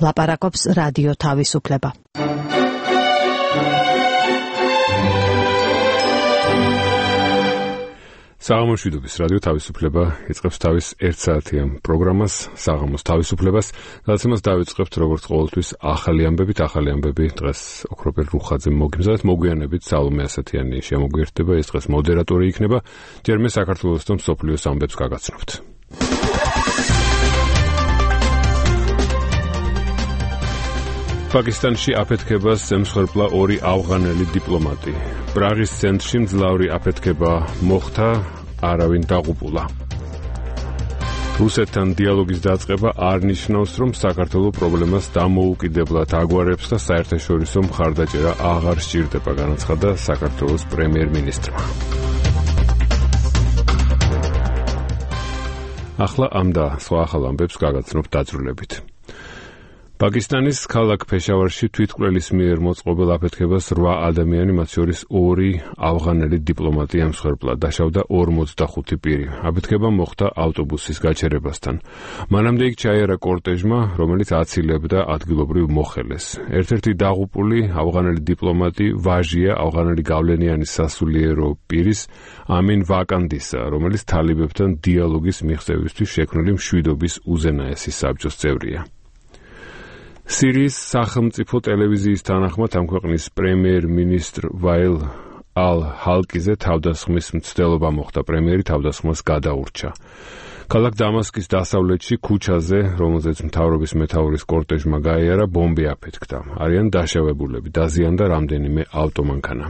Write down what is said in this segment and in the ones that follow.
ლაპარაკობს რადიო თავისუფლება. საღამოშვიდობის რადიო თავისუფლება იწყებს თავის 1 საათიან პროგრამას საღამოს თავისუფლებას, გადაცემას დავიწყებთ როგორც ყოველთვის ახალი ამბები დღეს ოქროპერ რუხაძე მოგიმზადეთ, მოგვიანებით სალომე ასათიანი შემოგვიერთდება, ეს დღეს მოდერატორი იქნება, ჯერმე საქართველოს და მსოფლიოს ამბებს გაგაცნობთ. პაკისტანში აფეთქებას ემსხვერპლა 2 ავღანელი დიპლომატი. პრაღის ცენტრში მძლავრი აფეთქება მოხდა, არავინ დაღუპულა. რუსეთთან დიალოგის დაწყება არ ნიშნავს, რომ საქართველო პრობლემას დამოუკიდებლად აგვარებს და საერთაშორისო მხარდაჭერა აღარ სჭირდება, განაცხადა საქართველოს პრემიერ-მინისტრმა. ახლა ამ და სხვა ახალ ამბებს გაგაცნობთ დაწვრილებით. პაკისტანის ქალაქ ფეშავარში თვითმკვლელის მიერ მოწყობილ აფეთქებას 8 ადამიანი, მათ შორის 2 ავღანელი დიპლომატი ემსხვერპლა, დაშავდა 45 პირი. აფეთქება მოხდა ავტობუსის გაჩერებასთან. მანამდე იქ ჩაიარა კორტეჟმა, რომელიც აცილებდა ადგილობრივ მოხელეს. ერთ-ერთი დაღუპული ავღანელი დიპლომატი ვაჟია ავღანელი გავლენიანი სასულიერო პირის ამინ ვაკანდისა, რომელიც თალიბებთან დიალოგის მიღწევისთვის შექმნილი მშვიდობის უზენაესი საბჭოს წევრია. სირიის სახელმწიფო ტელევიზიის თანახმად ამ ქვეყნის პრემიერ-მინისტრ ვაილ ალ-ჰალკიზე თავდასხმის მცდელობა მოხდა, პრემიერი თავდასხმას გადაურჩა. ქალაქ დამასკის დასავლეთში ქუჩაზე, რომელზეც მთავრობის მეთაურის კორტეჟმა გაიარა, ბომბი აფეთქდა. არიან დაშავებულები, დაზიანდა რამდენიმე ავტომანქანა.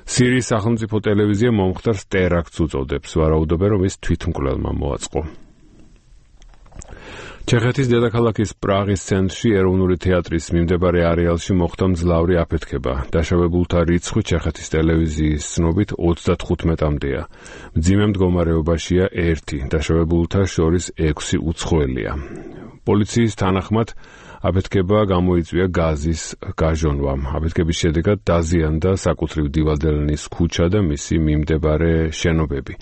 სირიის სახელმწიფო ტელევიზია მომხდარს ტერაქტს უწოდებს, ვარაუდობენ, რომ ის თვითმკვლელმა მოაწყო. ჩეხეთის დედაქალაქის პრაღის ცენტრში ეროვნული თეატრის მიმდებარე არეალში მოხდა მძლავრი აფეთქება. დაშავებულთა რიცხვი ჩეხეთის ტელევიზიის ცნობით 35-მდეა. მძიმე მდგომარეობაშია 1, დაშავებულთა შორის 6 უცხოელია. პოლიციის თანახმად აფეთქება გამოიწვია გაზის გაჟონვამ. აფეთქების შედეგად დაზიანდა საკუთრივ დილადელნის ქუჩა და მისი მიმდებარე შენობები.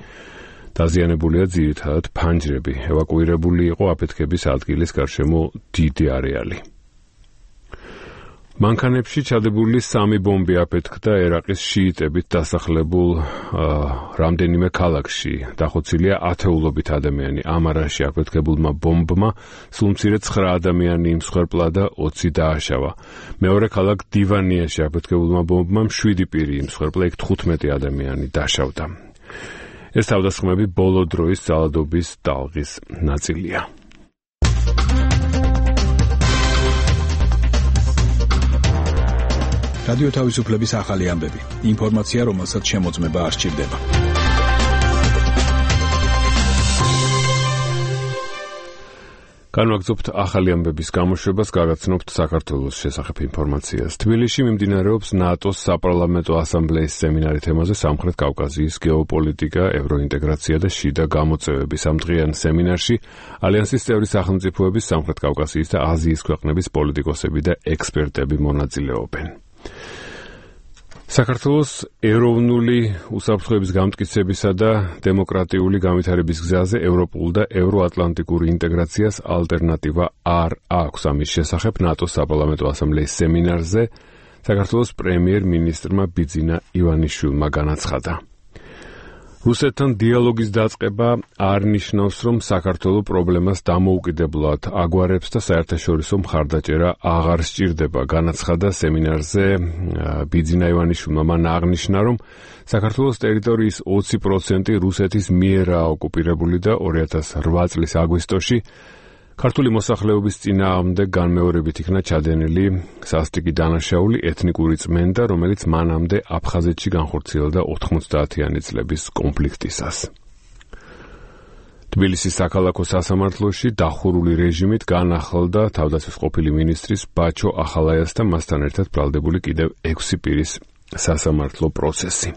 დაზიანებულია ძირითადად ფანჯრები. ევაკუირებული იყო აფეთქების ადგილის გარშემო დიდი არეალი. მანქანებში ჩადებული 3 ბომბი აფეთქდა ერაყის შიიტებით დასახლებულ რამდენიმე ქალაქში. დახოცილია ათეულობით ადამიანი. ამარაში აფეთქებულმა ბომბმა სულ მცირე 9 ადამიანი იმსხვერპლა და 20 დააშავა. მეორე ქალაქ დივანიაში აფეთქებულმა ბომბმა 7 პირი იმსხვერპლა, იქ 15 ადამიანი დაშავდა. ეს თავდასხმები ბოლო დროის ძალადობის ტალღის ნაწილია. რადიო თავისუფლების ახალი ამბები. ინფორმაცია, რომელსაც შემოწმება არ სჭირდება. განვაგრძობთ ახალი ამბების გამოშვებას, გაგაცნობთ საქართველოს შესახებ ინფორმაციას. თბილისში მიმდინარეობს ნატოს საპარლამენტო ასამბლეის სემინარი თემაზე სამხრეთ კავკასიის გეოპოლიტიკა, ევროინტეგრაცია და შიდა გამოწვევები. ამ დღიან სემინარში ალიანსის წევრი სახელმწიფოების, სამხრეთ კავკასიის და აზიის ქვეყნების პოლიტიკოსები და ექსპერტები მონაწილეობენ. საქართველოს ეროვნული უსაფრთხოების გამტკიცებისა და დემოკრატიული განვითარების გზაზე ევროპულ და ევროატლანტიკურ ინტეგრაციას ალტერნატივა არ აქვს. ამის შესახებ ნატოს საპარლამენტო ასამბლეის სემინარზე საქართველოს პრემიერ-მინისტრმა ბიძინა ივანიშვილმა განაცხადა. რუსეთთან დიალოგის დაწყება არ ნიშნავს, რომ საქართველო პრობლემას დამოუკიდებლად აგვარებს და საერთაშორისო მხარდაჭერა აღარ სჭირდება, განაცხადა სემინარზე ბიძინა ივანიშვილმა. მან აღნიშნა, რომ საქართველოს ტერიტორიის 20% რუსეთის მიერაა ოკუპირებული და 2008 წლის აგვისტოში ქართული მოსახლეობის წინააღმდეგ განმეორებით იქნა ჩადენილი სასტიკი დანაშაული ეთნიკური წმენდა, რომელიც მანამდე აფხაზეთში განხორციელდა 90-იანი წლების კონფლიქტისას. თბილისის საქალაქო სასამართლოში დახურული რეჟიმით განახლდა თავდაცვის ყოფილი მინისტრის ბაჩო ახალაიას და მასთან ერთად ბრალდებული კიდევ 6 პირის სასამართლო პროცესი.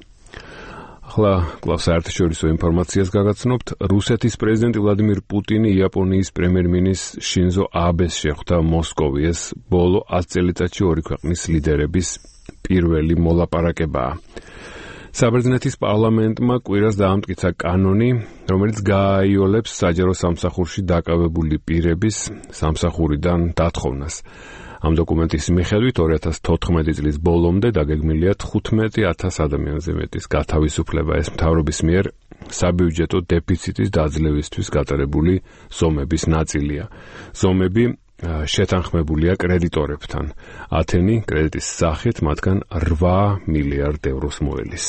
ახლა კლავს საერთაშორისო ინფორმაციას გაგაცნობთ. რუსეთის პრეზიდენტი ვლადიმირ პუტინი იაპონიის პრემიერ-მინისტრ შინზო აბეს შეხვდა მოსკოვიეს. ბოლო 10 წელიწადში 2 ქვეყნის ლიდერების პირველი მოლაპარაკებაა. საბერძნეთის პარლამენტმა კვირას დაამტკიცა კანონი, რომელიც გააიოლებს საჯარო სამსახურში დაკავებული პირების სამსახურიდან დათხოვნას. ამ დოკუმენტის მიხედვით 2014 წლის ბოლომდე დაგეგმილია 15,000 ადამიანზე მეტის გათავისუფლება. ეს მთავრობის მიერ საბიუჯეტო დეფიციტის დაძლევისთვის გატარებული ზომების ნაწილია. ზომები შეთანხმებულია კრედიტორებთან. ათენი კრედიტის სახით მათგან 8 მილიარდ ევროს მოელის.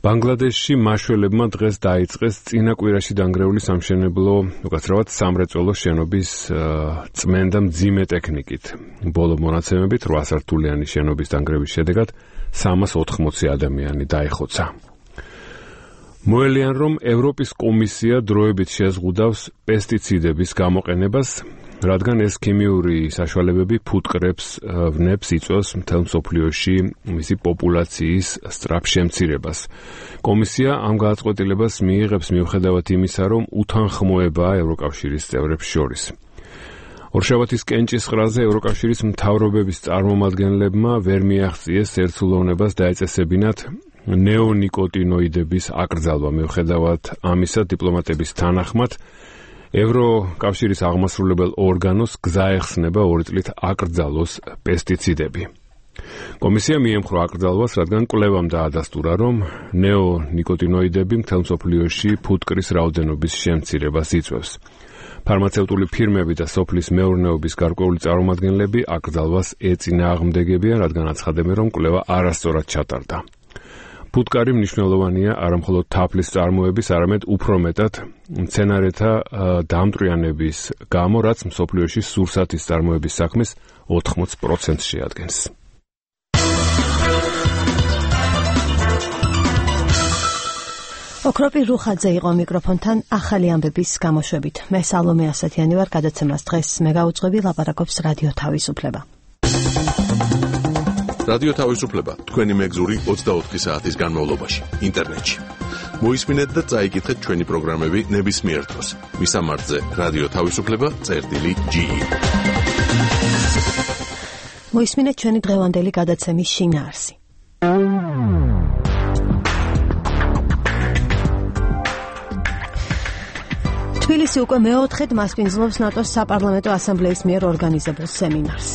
ბანგლადეშში მაშველებმა დღეს დაიწყეს წინა კვირაში დანგრეული სამშენებლო, უკაცრავად სამრეწველო შენობის წმენდა მძიმე ტექნიკით. ბოლო მონაცემებით 8 სართულიანი შენობის დანგრევის შედეგად 380 ადამიანი დაიხოცა. მოელიან, რომ ევროპის კომისია დროებით შეზღუდავს პესტიციდების გამოყენებას, რადგან ეს ქიმიური საშუალებები ფუტკრებს ვნებს იწვევს მთელ მსოფლიოში მისი პოპულაციის სწრაფ შემცირებას. კომისია ამ გადაწყვეტილებას მიიღებს მიუხედავად იმისა, რომ უთანხმოებაა ევროკავშირის წევრებს შორის. ორშაბათის კენჭისყრაზე ევროკავშირის მთავრობების წარმომადგენლებმა ვერ მიაღწიეს ერთსულოვნებას დაეწესებინათ ნეონიკოტინოიდების აკრძალვა. მიუხედავად ამისა, დიპლომატების თანახმად ევროკავშირის აღმასრულებელ ორგანოს გზა ეხსნება 2 წლით აკრძალოს პესტიციდები. კომისია მიემხრო აკრძალვას, რადგან კვლევამ დაადასტურა, რომ ნეონიკოტინოიდები მთელ მსოფლიოში ფუტკრის რაოდენობის შემცირებას იწვევს. ფარმაცევტული ფირმები და სოფლის მეურნეობის გარკვეული წარმომადგენლები აკრძალვას ეწინააღმდეგებიან, რადგან აცხადებენ, რომ კვლევა არასწორად ჩატარდა. ფუტკარი მნიშვნელოვანია არამხოლოდ თაფლის წარმოების, არამედ უფრო მეტად მცენარეთა დამტრიანების გამო, რაც მსოფლიოში სურსათის წარმოების საქმის 80% შეადგენს. ოქროპი რუხაძე იყო მიკროფონთან ახალი ამბების გამოშვებით. მე სალომე ასათიანი ვარ, გადაცემას დღეს მე გავუძღვები, ლაპარაკობს რადიო თავისუფლება. რადიო თავისუფლება თქვენი მეგზური 24 საათის განმავლობაში ინტერნეტში. მოისმინეთ და წაიკითხეთ ჩვენი პროგრამები ნებისმიერ დროს. მისამართზე რადიო თავისუფლება.ge. მოისმინეთ ჩვენი დღევანდელი გადაცემის შინაარსი. თბილისი უკვე მეოთხედ მასპინძლობს ნატოს საპარლამენტო ასამბლეის მიერ ორგანიზებულ სემინარს.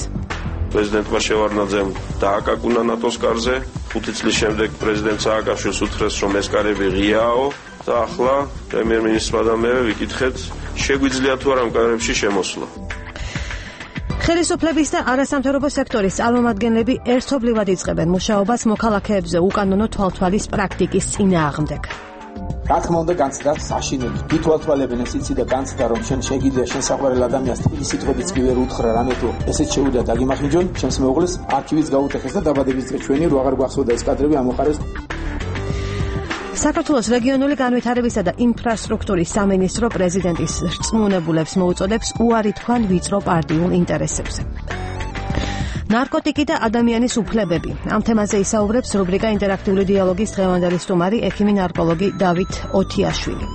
პრეზიდენტმა შევარდნაძემ დააკაკუნა ნატოს კარზე, 5 წლის შემდეგ პრეზიდენტ სააკაშვილს უთხრეს, რომ ეს კარები ღიაო და ახლა პრემიერ-მინისტრმა და მე ვიკითხეთ, შეგვიძლია თუ არა ამ კარებში შემოსვლა. ხელისუფლების და არასამთავრობო სექტორის წარმომადგენლები ერთობლივად იწყებენ მუშაობას მოქალაქეებზე უკანონო თვალთვალის პრაქტიკის წინააღმდეგ. რა თქმა უნდა, განცდა საშინელი. ვითვალთვალებენ ეს იცი და განცდა, რომ შენ შეგიძლია შენ საყვარელ ადამიანს თბილი სიტყვებიც კი ვერ უთხრა რამე თუ ესეც შეუძლია დაგიმახინჯონ, შენს მეუღლეს არქივიც გაუტეხეს და დაბადების დღე ჩვენი რო აღარ გვახსოვდა ეს კადრები ამოხარეს. საქართველოს რეგიონული განვითარებისა და ინფრასტრუქტურის სამინისტრო პრეზიდენტის რწმუნებულებს მოუწოდებს უარი თქვან ვიწრო პარტიულ ინტერესებზე. ნარკოტიკი და ადამიანის უფლებები. ამ თემაზე ისაუბრებს რუბრიკა ინტერაქტიული დიალოგის დღევანდელი სტუმარი, ექიმი ნარკოლოგი დავით ოთიაშვილი.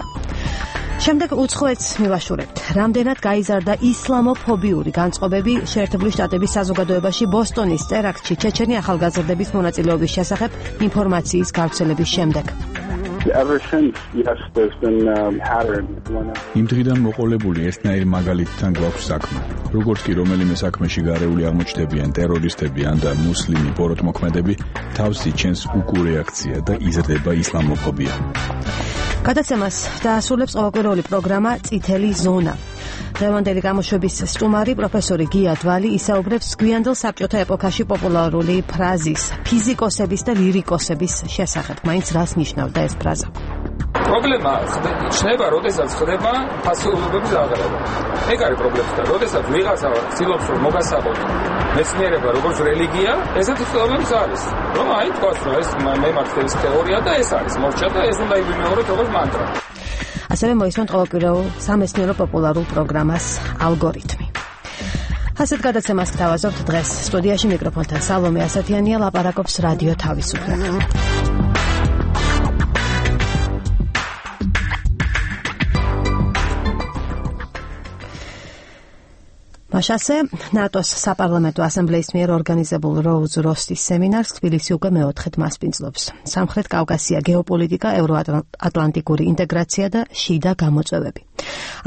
შემდეგ უცხოეთს მივაშურებთ. რამდენად გაიზარდა ისლამოფობიური განწყობები შეერთებული შტატების საზოგადოებაში ბოსტონის ტერაქტში ჩეჩენი ახალგაზრდების მონაწილეობის შესახებ ინფორმაციის გავრცელების შემდეგ. Ever since, yes, there's been pattern. იმ დღიდან მოყოლებული ესნაირი მაგალითთან გვაქვს საქმე. როგორც კი რომელიმე საქმეში გარეული აღმოჩნდებიან ტერორისტები ან და მუსლიმი ბოროტმოქმედები, თავს იჩენს უკურეაქცია და იზრდება ისლამოფობია. გადაცემას დაასრულებს ყოველკვირეული პროგრამა წითელი ზონა. დღევანდელი გამოშვების სტუმარი პროფესორი გია დვალი ისაუბრებს გვიანდელ საბჭოთა ეპოქაში პოპულარული ფრაზის ფიზიკოსების და ლირიკოსების შესახებ. მაინც რას ნიშნავდა ეს ფრაზა? პრობლემა ხდება, როდესაც ხდება ფასეულობების აღრევა. ეგ არის პრობლემა. როდესაც ვიღაცა ცდილობს რომ მოგასაღოთ მეცნიერება როგორც რელიგია, ესეთი პრობლემაც არის. რომ აი თქვას რომ ეს მემარცხენების თეორია და ეს არის მორჩა და ეს უნდა ივიმეოროთ როგორც მანტრა. ასევე მოისმენთ ყოველკვირეულ სამეცნიერო პოპულარულ პროგრამას ალგორითმი. ასეთ გადაცემას გთავაზობთ დღეს. სტუდიაში მიკროფონთან სალომე ასათიანია, ლაპარაკობს რადიო თავისუფლება. მაშასე ნატოს საპარლამენტო ასამბლეის მიერ ორგანიზებულ როუზ როსტის სემინარს თბილისი უკვე მეოთხედ მასპინძლობს. სამხრეთ კავკასია, გეოპოლიტიკა, ევროატლანტიკური ინტეგრაცია და შიდა გამოწვევები.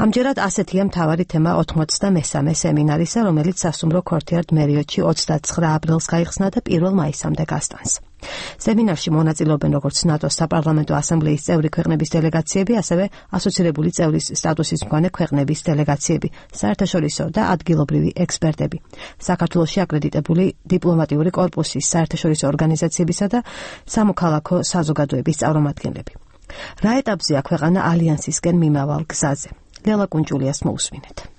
ამჯერად ასეთია მთავარი თემა 83 სემინარისა, რომელიც სასტუმრო ქორთიარდ მერიოტში 29 აპრილს გაიხსნა და 1 მაისამდე გასტანს. სემინარში მონაწილეობენ როგორც ნატოს საპარლამენტო ასამბლეის წევრი ქვეყნების დელეგაციები, ასევე ასოცირებული წევრის სტატუსის მქონე ქვეყნების დელეგაციები, საერთაშორისო და ადგილობრივი ექსპერტები, საქართველოში აკრედიტებული დიპლომატიური კორპუსის, საერთაშორისო ორგანიზაციებისა და სამოქალაქო საზოგადოების წარმომადგენლები. რა ეტაპზეა ქვეყანა ალიანსისკენ მიმავალ გზაზე? ლელა კუნჭულიას მოусმინეთ.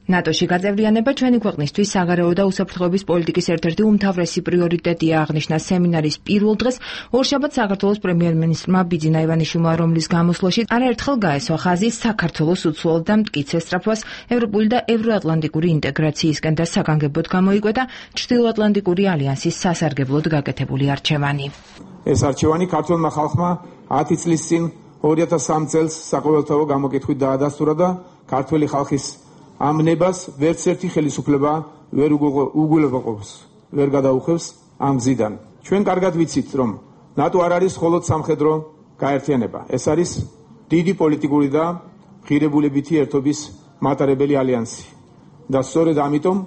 ნატოში გაწევრიანება ჩვენი ქვეყნისთვის საგარეო და უსაფრთხოების პოლიტიკის ერთ-ერთი უმთავრესი პრიორიტეტია, აღნიშნა სემინარის პირველ დღეს ორშაბათს საქართველოს პრემიერ-მინისტრმა ბიძინა ივანიშვილმა, რომლის გამოსვლაში არაერთხელ გაესვა ხაზი საქართველოს უცვლელ და მტკიცე სწრაფვას ევროპული და ევროატლანტიკური ინტეგრაციისკენ და საგანგებოდ გამოიკვეთა ჩრდილოატლანტიკური ალიანსის სასარგებლოდ გაკეთებული არჩევანი. ეს არჩევანი ქართველმა ხალხმა 10 წლის წინ 2003 წელს საყოველთაო გამოკითხვით დაადასტურა და ქართველი ხალხის ამ ნებას ვერც ერთი ხელისუფლება ვერ უგულებაყოფს, ვერ გადაუხევს ამ გზიდან. ჩვენ კარგად ვიცით, რომ ნატო არ არის მხოლოდ სამხედრო გაერთიანება. ეს არის დიდი პოლიტიკური და ღირებულებითი ერთობის მატარებელი ალიანსი. და სწორედ ამიტომ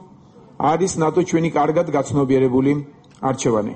არის ნატო ჩვენი კარგად გაცნობიერებული არჩევანი.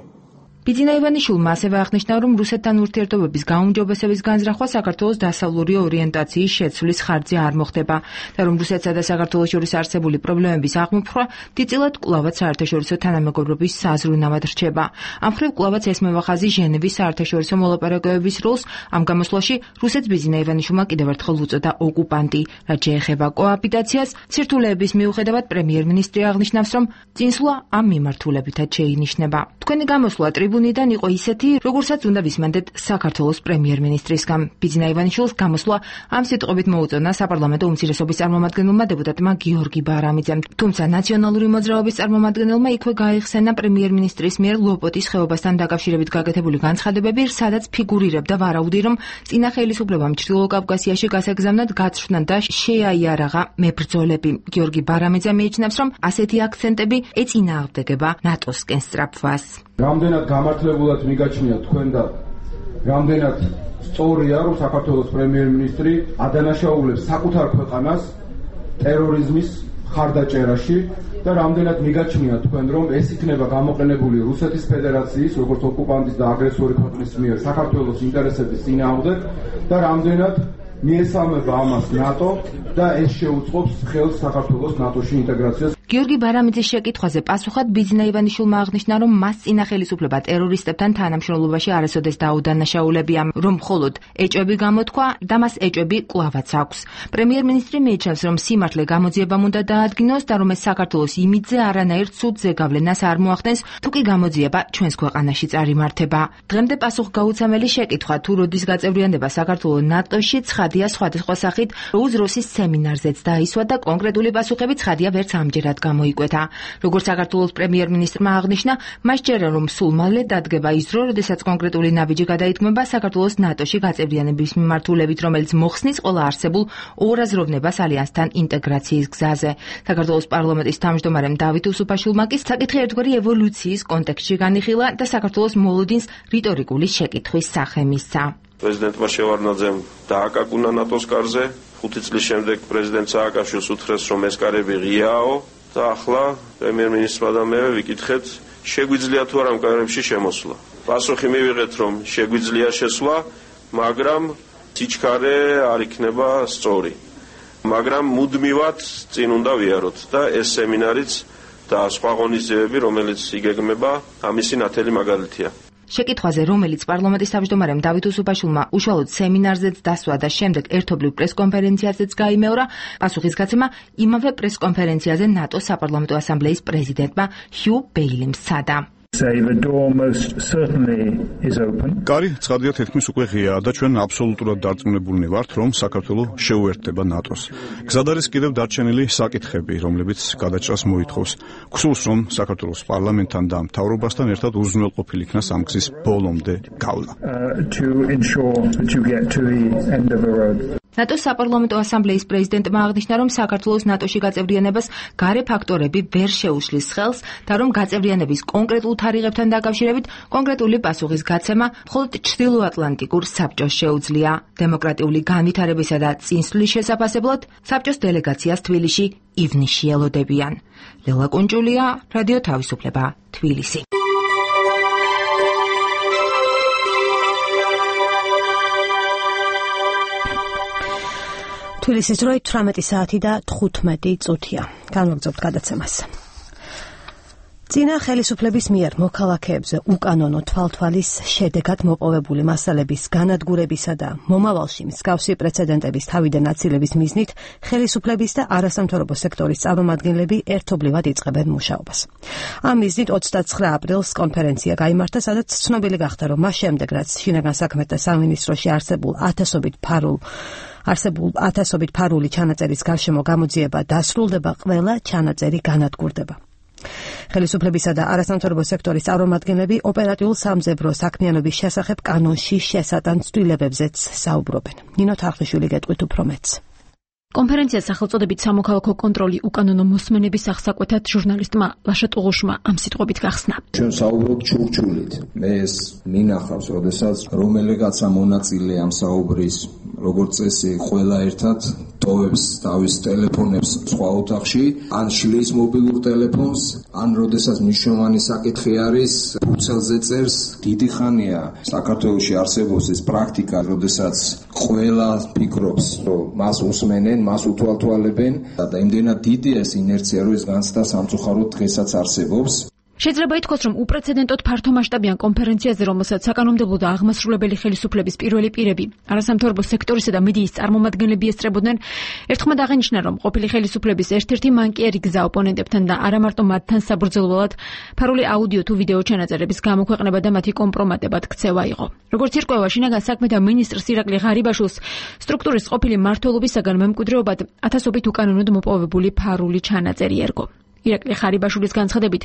ბიძინა ივანიშვილმა ასევე აღნიშნა, რომ რუსეთთან ურთიერთობების გაუმჯობესების განზრახვა საქართველოს დასავლური ორიენტაციის შეცვლის ხარჯზე არ მოხდება და რომ რუსეთსა და საქართველოს შორის არსებული პრობლემების აღმოფხვრა დიდწილად კვლავაც საერთაშორისო თანამეგობრობის საზრუნავად რჩება. ამ მხრივ კვლავაც ესმევა ხაზი ჟენევის საერთაშორისო მოლაპარაკებების როლს. ამ გამოსვლაში რუსეთს ბიძინა ივანიშვილმა კიდევ ერთხელ უწოდა ოკუპანტი. რაც შეეხება კოაპიტაციას, სირთულეების მიუხედავად პრემიერ-მინისტრი აღნიშნავს, რომ წინსვლა ამ მიმართულებითაც შეინიშნება. თქვენი გამოსვლა ტრიბუნიდან იყო ისეთი, როგორცაც უნდა ვისმენდეთ საქართველოს პრემიერ-მინისტრისგან. ბიძინა ივანიშვილს გამოსვლა ამ სიტყვებით მოუწონა საპარლამენტო უმცირესობის წარმომადგენელმა დეპუტატმა გიორგი ბარამიძემ. თუმცა ნაციონალური მოძრაობის წარმომადგენელმა იქვე გაიხსენა პრემიერ-მინისტრის მიერ ლოპოტის ხეობასთან დაკავშირებით გაკეთებული განცხადებები, სადაც ფიგურირებდა ვარაუდი, რომ წინა ხელისუფლებამ ჩრდილო კავკასიაში გასაგზავნად გაცხრნა და შეაიარაღა მებრძოლები. გიორგი ბარამიძე მიიჩნევს, რომ ასეთი აქცენტები ეწინააღმდეგება ნატოსკენ სწრაფვას. რამდენად გამართლებულად მიგაჩნია თქვენ და რამდენად სწორია, რომ საქართველოს პრემიერ-მინისტრი ადანაშაულებს საკუთარ ქვეყანას ტერორიზმის ხარდაჭერაში და რამდენად მიგაჩნია თქვენ, რომ ეს იქნება გამოყენებული რუსეთის ფედერაციის, როგორც ოკუპანტის და აგრესორი ქვეყნის მიერ საქართველოს ინტერესების წინააღმდეგ და რამდენად მიესალმება ამას ნატო და ეს შეუწყობს ხელს საქართველოს ნატოში ინტეგრაციას. გიორგი ბარამიძის შეკითხვაზე პასუხად ბიძინა ივანიშვილმა აღნიშნა, რომ მას წინა ხელისუფლება ტერორისტებთან თანამშრომლობაში არასოდეს დაუდანაშაულებია, რომ მხოლოდ ეჭვები გამოთქვა და მას ეჭვები კვლავაც აქვს. პრემიერ-მინისტრი მიიჩნევს, რომ სიმართლე გამოძიებამ უნდა დაადგინოს და რომ ეს საქართველოს იმიჯზე არანაირ ცუდ ზეგავლენას არ მოახდენს, თუ კი გამოძიება ჩვენს ქვეყანაში წარიმართება. დღემდე პასუხგაუცემელი შეკითხვა, თუ როდის გაწევრიანება საქართველოს ნატოში, ცხადია სხვადასხვა სახით როუზ როსის სემინარზეც დაისვა და კონკრეტული პასუხები ცხადია ვერც ამჯერად გამოიკვეთა. როგორც საქართველოს პრემიერ-მინისტრმა აღნიშნა, მას ჯერა რომ სულ მალე დადგება ის დრო, როდესაც კონკრეტული ნაბიჯი გადაითქმება საქართველოს ნატოში გაწევრიანების მიმართულებით, რომელიც მოხსნის ყველა არსებულ ორაზროვნებას ალიანსთან ინტეგრაციის გზაზე. საქართველოს პარლამენტის თავმჯდომარემ დავით უსუფაშვილმა კი საკითხი ერთგვარი ევოლუციის კონტექსტში განიხილა და საქართველოს მოლოდინს რიტორიკული შეკითხვის სახე მისცა. პრეზიდენტმა შევარდნაძემ დააკაკუნა ნატოს კარზე, 5 წლის შემდეგ პრეზიდენტ სააკაშვილს უთხრეს, რომ ეს კარები ღიაო და ახლა პრემიერ-მინისტრმა და მე ვიკითხეთ, შეგვიძლია თუ არა ამ კარებში შემოსვლა. პასუხი მივიღეთ, რომ შეგვიძლია შესვლა, მაგრამ სიჩქარე არ იქნება სწორი. მაგრამ მუდმივად წინ უნდა ვიაროთ და ეს სემინარიც და სხვა ღონისძიებები, რომელიც იგეგმება, ამისი ნათელი მაგალითია. შეკითხვაზე, რომელიც პარლამენტის თავმჯდომარემ დავით უსუფაშვილმა უშუალოდ სემინარზეც დასვა და შემდეგ ერთობლივ პრესკონფერენციაზეც გაიმეორა, პასუხის გაცემა იმავე პრესკონფერენციაზე ნატოს საპარლამენტო ასამბლეის პრეზიდენტმა ჰიუ ბეილიმ სცადა. კარი ცხადია თითქმის უკვე ღიაა და ჩვენ აბსოლუტურად დარწმუნებულნი ვართ, რომ საქართველოს შეუერთდება ნატოს. გზად არის კიდევ დარჩენილი საკითხები, რომლებიც გადაჭრას მოითხოვს. გსურს, რომ საქართველოს პარლამენტთან და მთავრობასთან ერთად უზრუნველყოფილი იქნას ამ გზის ბოლომდე გავლა. ნატოს საპარლამენტო ასამბლეის პრეზიდენტმა აღნიშნა, რომ საქართველოს ნატოში გაწევრიანებას გარე ფაქტორები ვერ შეუშლის ხელს და რომ გაწევრიანების კონკრეტულ თარიღებთან დაკავშირებით კონკრეტული პასუხის გაცემა მხოლოდ ჩრდილოატლანტიკურ საბჭოს შეუძლია. დემოკრატიული განვითარებისა და წინსვლის შესაფასებლად საბჭოს დელეგაციას თბილისში ივნისში ელოდებიან. ლელა კუნჭულია, რადიო თავისუფლება, თბილისი. თბილისის დროით 18 საათი და 15 წუთია. განვაგრძობთ გადაცემას. წინა ხელისუფლების მიერ მოქალაქეებზე უკანონო თვალთვალის შედეგად მოპოვებული მასალების განადგურებისა და მომავალში მსგავსი პრეცედენტების თავიდან აცილების მიზნით ხელისუფლების და არასამთავრობო სექტორის წარმომადგენლები ერთობლივად იწყებენ მუშაობას. ამ მიზნით 29 აპრილს კონფერენცია გაიმართა, სადაც ცნობილი გახდა, რომ მას შემდეგ, რაც შინაგან საქმეთა სამინისტროში არსებულ ათასობით ფარული ჩანაწერის გარშემო გამოძიება დასრულდება, ყველა ჩანაწერი განადგურდება. ხელისუფლებისა და არასამთავრობო სექტორის წარმომადგენლები ოპერატიულ სამძებრო საქმიანობის შესახებ კანონში შესატან ცვლილებებზეც საუბრობენ. ნინო თარხნიშვილი გეტყვით უფრო მეტს. კონფერენციას სახელწოდებით სამოქალაქო კონტროლი უკანონო მოსმენების აღსაკვეთად ჟურნალისტმა ლაშა ტუღუშმა ამ სიტყვებით გახსნა. ჩვენ საუბრობთ ჩურჩულით. მე ეს მინახავს, როდესაც რომელიღაცა მონაწილე ამ საუბრის, როგორც წესი, ყველა ერთად ტოვებს თავის ტელეფონებს სხვა ოთახში, ან შლის მობილურ ტელეფონს, ან როდესაც მნიშვნელოვანი საკითხი არის, ფუცელზე წერს. დიდი ხანია საქართველოში არსებობს ეს პრაქტიკა, როდესაც ყველა ფიქრობს, რომ მას უსმენენ, მას უთვალთვალებენ და იმდენად დიდია ეს ინერცია, რომ ეს განცდა სამწუხაროდ დღესაც არსებობს. შეიძლება ითქვას, რომ უპრეცედენტოდ ფართომასშტაბიან კონფერენციაზე, რომელსაც საკანონმდებლო და აღმასრულებელი ხელისუფლების პირველი პირები, არასამთავრობო სექტორისა და მედიის წარმომადგენლები ესწრებოდნენ, ერთხმად აღინიშნა, რომ ყოფილი ხელისუფლების ერთ-ერთი მანკიერი გზა ოპონენტებთან და არა მარტო მათთან საბრძოლველად ფარული აუდიო თუ ვიდეო ჩანაწერების გამოქვეყნება და მათი კომპრომატებად ქცევა იყო. როგორც ირკვევა შინაგან საქმეთა მინისტრს ირაკლი ღარიბაშვილს, სტრუქტურის ყოფილი მმართველობისაგან მემკვიდრეობად ათასობით უკანონოდ მოპოვებული ფარული ჩანაწერი ერგო. ირაკლი ღარიბაშვილის განცხადებით,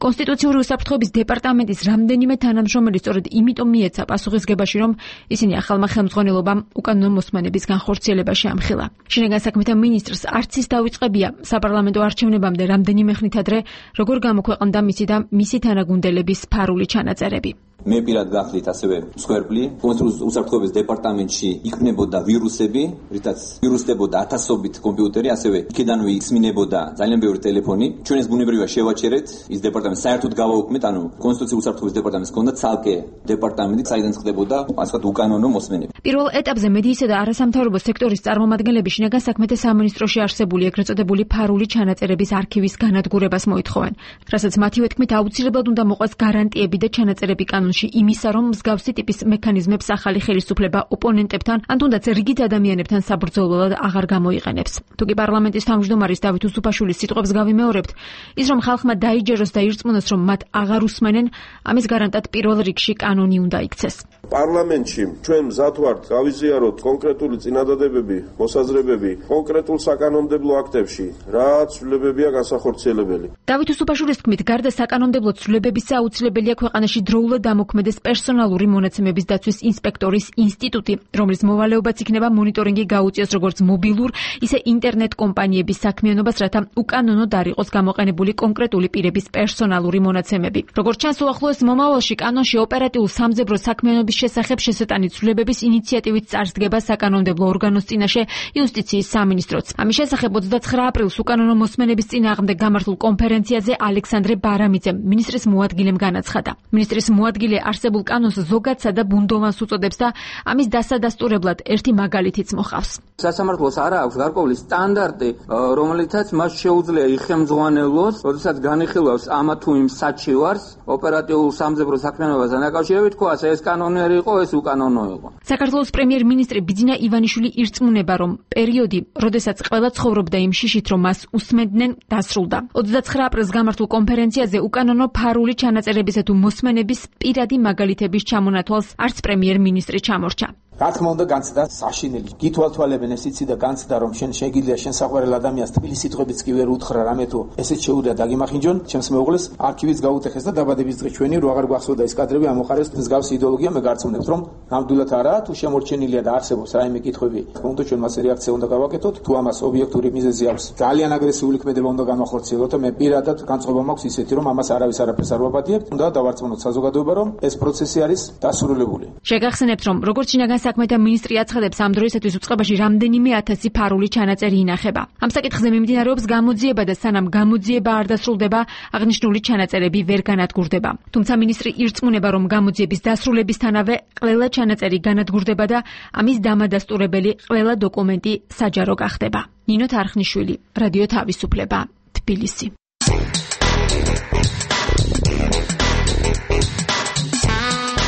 კონსტიტუციური უსაფრთხოების დეპარტამენტის რამდენიმე თანამშრომელი სწორედ იმიტომ მიეცა პასუხისგებაში, რომ ისინი ახალმა ხელმძღვანელობამ უკანონო მოსმენების განხორციელებაში ამხილა. შინაგან საქმეთა მინისტრს არც ის დავიწყებია საპარლამენტო არჩევნებამდე რამდენიმე ხნით ადრე, როგორ გამოქვეყნდა მისი და მისი თანაგუნდელების ფარული ჩანაწერები. მე პირად გახლით ასევე მსხვერპლი კონსტიტუციის უსაფრთხოების დეპარტამენტში იქნებოდა ვირუსები, რითაც ვირუსდებოდა ათასობით კომპიუტერი, ასევე იქედანვე ისმინებოდა ძალიან ბევრი ტელეფონი. ჩვენ ეს ბუნებრივია შევაჩერეთ, ის დეპარტამენტი საერთოდ გავაუქმეთ, ანუ კონსტიტუციის უსაფრთხოების დეპარტამენტს ჰქონდა ცალკე დეპარტამენტი, საიდან ხდებოდა ასე ვთქვათ უკანონო მოსმენები. პირველ ეტაპზე მედიისა და არასამთავრობო სექტორის წარმომადგენლები შინაგან საქმეთა სამინისტროში არსებული ეგრეთ წოდებული ფარული ჩანაწერების არქივის განადგურებას მოითხოვენ, რასაც მათივე თქმით აუცილებლად უნდა მოყვეს გარანტიები და ჩანაწერები კანონში იმისა, რომ მსგავსი ტიპის მექანიზმებს ახალი ხელისუფლება ოპონენტებთან, ან თუნდაც რიგით ადამიანებთან საბრძოლველად აღარ გამოიყენებს. თუკი პარლამენტის თავმჯდომარის დავით უსუფაშვილის სიტყვებს გავიმეორებთ, ის რომ ხალხმა დაიჯეროს და ირწმუნოს, რომ მათ აღარ უსმენენ, ამის გარანტად პირველ რიგში კანონი უნდა იქცეს. პარლამენტში ჩვენ მზად ვართ გავიზიაროთ კონკრეტული წინადადებები, მოსაზრებები კონკრეტულ საკანონმდებლო აქტებში, რაც ცვლილებებია განსახორციელებელი. დავით უსუფაშვილის თქმით, გარდა საკანონმდებლო ცვლილებებისა აუცილებელია ქვეყანაში დროულად დამოქმედეს პერსონალური მონაცემების დაცვის ინსპექტორის ინსტიტუტი, რომლის მოვალეობაც იქნება მონიტორინგი გაუწიოს როგორც მობილურ, ისე ინტერნეტ კომპანიების საქმიანობას, რათა უკანონოდ არ იყოს გამოყენებული კონკრეტული პირების პერსონალური მონაცემები. როგორც ჩანს, უახლოეს მომავალში კანონში ოპერატიულ სამძებრო საქმიანობის შესახებ შესატანი ცვლილებების ინიციატივით წარსდგება საკანონმდებლო ორგანოს წინაშე იუსტიციის სამინისტროც. ამის შესახებ 29 აპრილს უკანონო მოსმენების წინააღმდეგ გამართულ კონფერენციაზე ალექსანდრე ბარამიძემ მინისტრის მოადგილემ განაცხადა. მინისტრის მოადგილე არსებულ კანონს ზოგადსა და ბუნდოვანს უწოდებს და ამის დასადასტურებლად ერთი მაგალითიც მოყავს. სასამართლოს არ აქვს გარკვეული სტანდარტი, რომელიცაც მას შეუძლია იხელმძღვანელოს, როდესაც განიხილავს ამა თუ იმ საჩივარს ოპერატიულ სამძებრო საქმიანობასთან დაკავშირებით, თქვა ეს კანონიერი იყო, ეს უკანონო იყო. საქართველოს პრემიერ-მინისტრი ბიძინა ივანიშვილი ირწმუნება, რომ პერიოდი, როდესაც ყველა ცხოვრობდა იმ შიშით, რომ მას უსმენდნენ, დასრულდა. 29 აპრილს გამართულ კონფერენციაზე უკანონო ფარული ჩანაწერებისა თუ მოსმენების პირადი მაგალითების ჩამონათვალს არც პრემიერ-მინისტრი ჩამორჩა. რა თქმა უნდა განცდა საშინელი გითვალთვალებენ ეს იცი და განცდა რომ შენ შეგიძლია შენ საყვარელ ადამიანს თბილი სიტყვებიც კი ვერ უთხრა რამე თუ ესეც შეუძლია დაგიმახინჯონ ჩემს მეუღლეს არქივიც გაუტეხეს და დაბადების დღის ჩვენი რო აღარ გვახსოვდა ეს კადრები ამოყარეს მსგავსი იდეოლოგია მე გარწმუნებს რომ ნამდვილად არა თუ შემორჩენილია და არსებობს რაიმე კითხვები თქმა უნდა ჩვენ მასე რეაქცია უნდა გავაკეთოთ თუ ამას ობიექტური მიზეზი აქვს ძალიან აგრესიული ქმედება უნდა განახორციელოთ და მე პირადად განწყობა მაქვს ისეთი რომ ამას არავის არაფერს არ ვაპატიებთ უნდა დავარწმუნოთ საზოგადოება რომ ეს პროცესი არის დასრულებული. შეგახსენებთ რომ როგორც შინაგან საქმეთა მინისტრი აცხადებს ამ დროისათვის უწყებაში რამდენიმე ათასი ფარული ჩანაწერი ინახება. ამ საკითხზე მიმდინარეობს გამოძიება და სანამ გამოძიება არ დასრულდება აღნიშნული ჩანაწერები ვერ განადგურდება. თუმცა მინისტრი ირწმუნება რომ გამოძიების დასრულებისთანავე ყველა ჩანაწერი განადგურდება და ამის დამადასტურებელი ყველა დოკუმენტი საჯარო გახდება. ნინო თარხნიშვილი, რადიო თავისუფლება, თბილისი.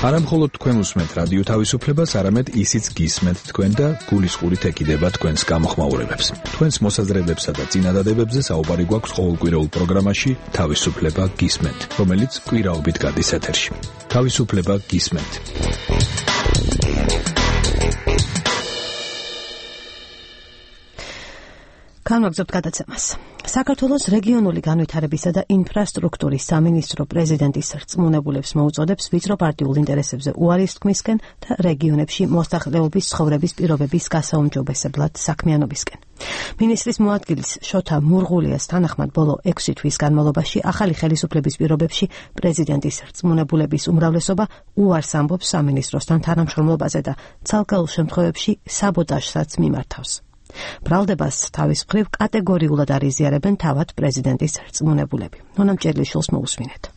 არამხოლოდ თქვენ უსმენთ რადიო თავისუფლებას, არამედ ისიც გისმენთ თქვენ და გულისყურით ეკიდება თქვენს გამოხმაურებებს. თქვენს მოსაზრებებსა და წინადადებებზე საუბარი გვაქვს ყოველკვირეულ პროგრამაში თავისუფლება გისმენთ, რომელიც კვირაობით გადის ეთერში. თავისუფლება გისმენთ. განვაგრძობთ გადაცემას. საქართველოს რეგიონული განვითარებისა და ინფრასტრუქტურის სამინისტრო პრეზიდენტის რწმუნებულებს მოუწოდებს ვიწრო პარტიულ ინტერესებზე უარის თქმისკენ და რეგიონებში მოსახლეობის ცხოვრების პირობების გასაუმჯობესებლად საქმიანობისკენ. მინისტრის მოადგილის შოთა მურღულიას თანახმად ბოლო 6 თვის განმავლობაში ახალი ხელისუფლების პირობებში პრეზიდენტის რწმუნებულების უმრავლესობა უარს ამბობს სამინისტროსთან თანამშრომლობაზე და ცალკეულ შემთხვევებში საბოტაჟსაც მიმართავს. ბრალდებას თავის მხრივ კატეგორიულად არიზიარებენ თავად პრეზიდენტის რწმუნებულები. ნონა მჭედლიშვილს მოусმინეთ.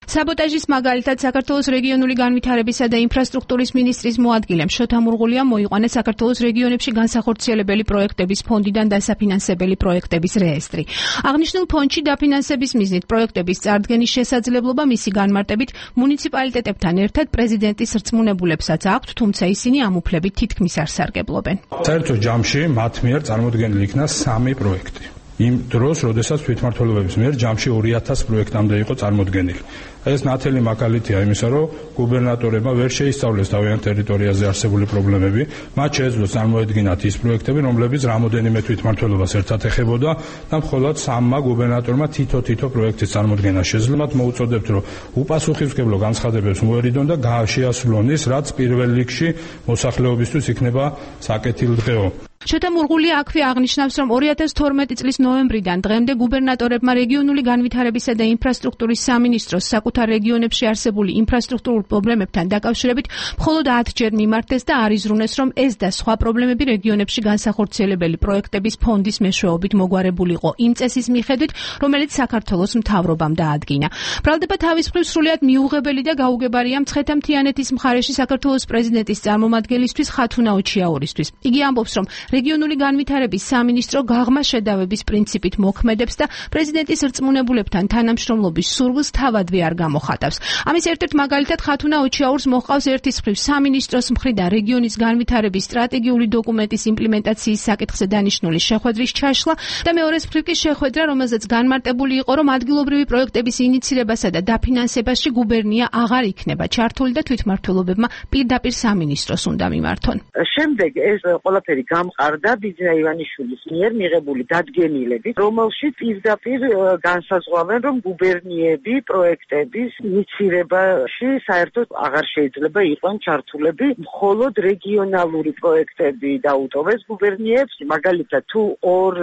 საბოტაჟის მაგალითად საქართველოს რეგიონული განვითარებისა და ინფრასტრუქტურის მინისტრის მოადგილემ შოთა მურღულიამ მოიყვანეს საქართველოს რეგიონებში განსახორციელებელი პროექტების ფონდიდან დასაფინანსებელი პროექტების რეესტრი. აღნიშნულ ფონდში დაფინანსების მიზნით პროექტების წარდგენის შესაძლებლობა მისი განმარტებით მუნიციპალიტეტებთან ერთად პრეზიდენტის რწმუნებულებსაც აქვთ, თუმცა ისინი ამ უფლებით თითქმის არ სარგებლობენ. საერთო ჯამში მათ მიერ წარმოდგენილი იქნა 3 პროექტი. იმ დროს, როდესაც თვითმმართველობის მიერ ჯამში 2000 პროექტამდე იყო წარმოდგენილი. ეს ნათელი მაგალითია იმისა, რომ გუბერნატორებმა ვერ შეისწავლეს თავიანთ ტერიტორიაზე არსებული პრობლემები, მათ შეეძლო წარმოედგინათ ის პროექტები, რომლებიც რამოდენიმე თვითმმართველობას ერთად ეხებოდა და მხოლოდ 3 გუბერნატორმა თითო პროექტის წარმოდგენა შეძლო. მათ მოუწოდებთ, რომ უპასუხისმგებლო განცხადებებს მოერიდონ და შეასრულონ ის, რაც პირველ რიგში მოსახლეობისთვის იქნება საკეთილდღეო. შოთა მურღულია აქვე აღნიშნავს, რომ 2012 წლის ნოემბრიდან დღემდე გუბერნატორებმა რეგიონული განვითარებისა და ინფრასტრუქტურის სამინისტროს საკუთარ რეგიონებში არსებული ინფრასტრუქტურულ პრობლემებთან დაკავშირებით მხოლოდ 10 ჯერ მიმართეს და არიზრუნეს, რომ ეს და სხვა პრობლემები რეგიონებში განსახორციელებელი პროექტების ფონდის მეშვეობით მოგვარებულიყო იმ წესის მიხედვით, რომელიც საქართველოს მთავრობამ დაადგინა. ბრალდება თავის მხრივ სრულიად მიუღებელი და გაუგებარია მცხეთა-მთიანეთის მხარეში საქართველოს პრეზიდენტის წარმომადგენლისთვის ხათუნა ოჩიაურისთვის. იგი ამბობს, რომ რეგიონული განვითარების სამინისტრო გაღმა შედავების პრინციპით მოქმედებს და პრეზიდენტის რწმუნებულებთან თანამშრომლობის სურვილს თავადვე არ გამოხატავს. ამის ერთ-ერთ მაგალითად ხათუნა ოჩიაურს მოჰყავს ერთის მხრივ სამინისტროს მხრიდან რეგიონის განვითარების სტრატეგიული დოკუმენტის იმპლემენტაციის საკითხზე დანიშნული შეხვედრის ჩაშლა და მეორეს მხრივ კი შეხვედრა, რომელზეც განმარტებული იყო, რომ ადგილობრივი პროექტების ინიცირებასა და დაფინანსებაში გუბერნია აღარ იქნება ჩართული და თვითმმართველობებმა პირდაპირ სამინისტროს უნდა მიმართონ. შემდეგ ეს ყველაფერი გამყარდა ბიძინა ივანიშვილის მიერ მიღებული დადგენილებით, რომელშიც პირდაპირ განსაზღვრავენ, რომ გუბერნიები პროექტების ინიცირებაში საერთოდ აღარ შეიძლება იყვნენ ჩართულები, მხოლოდ რეგიონალური პროექტები დაუტოვეს გუბერნიებს. მაგალითად, თუ ორ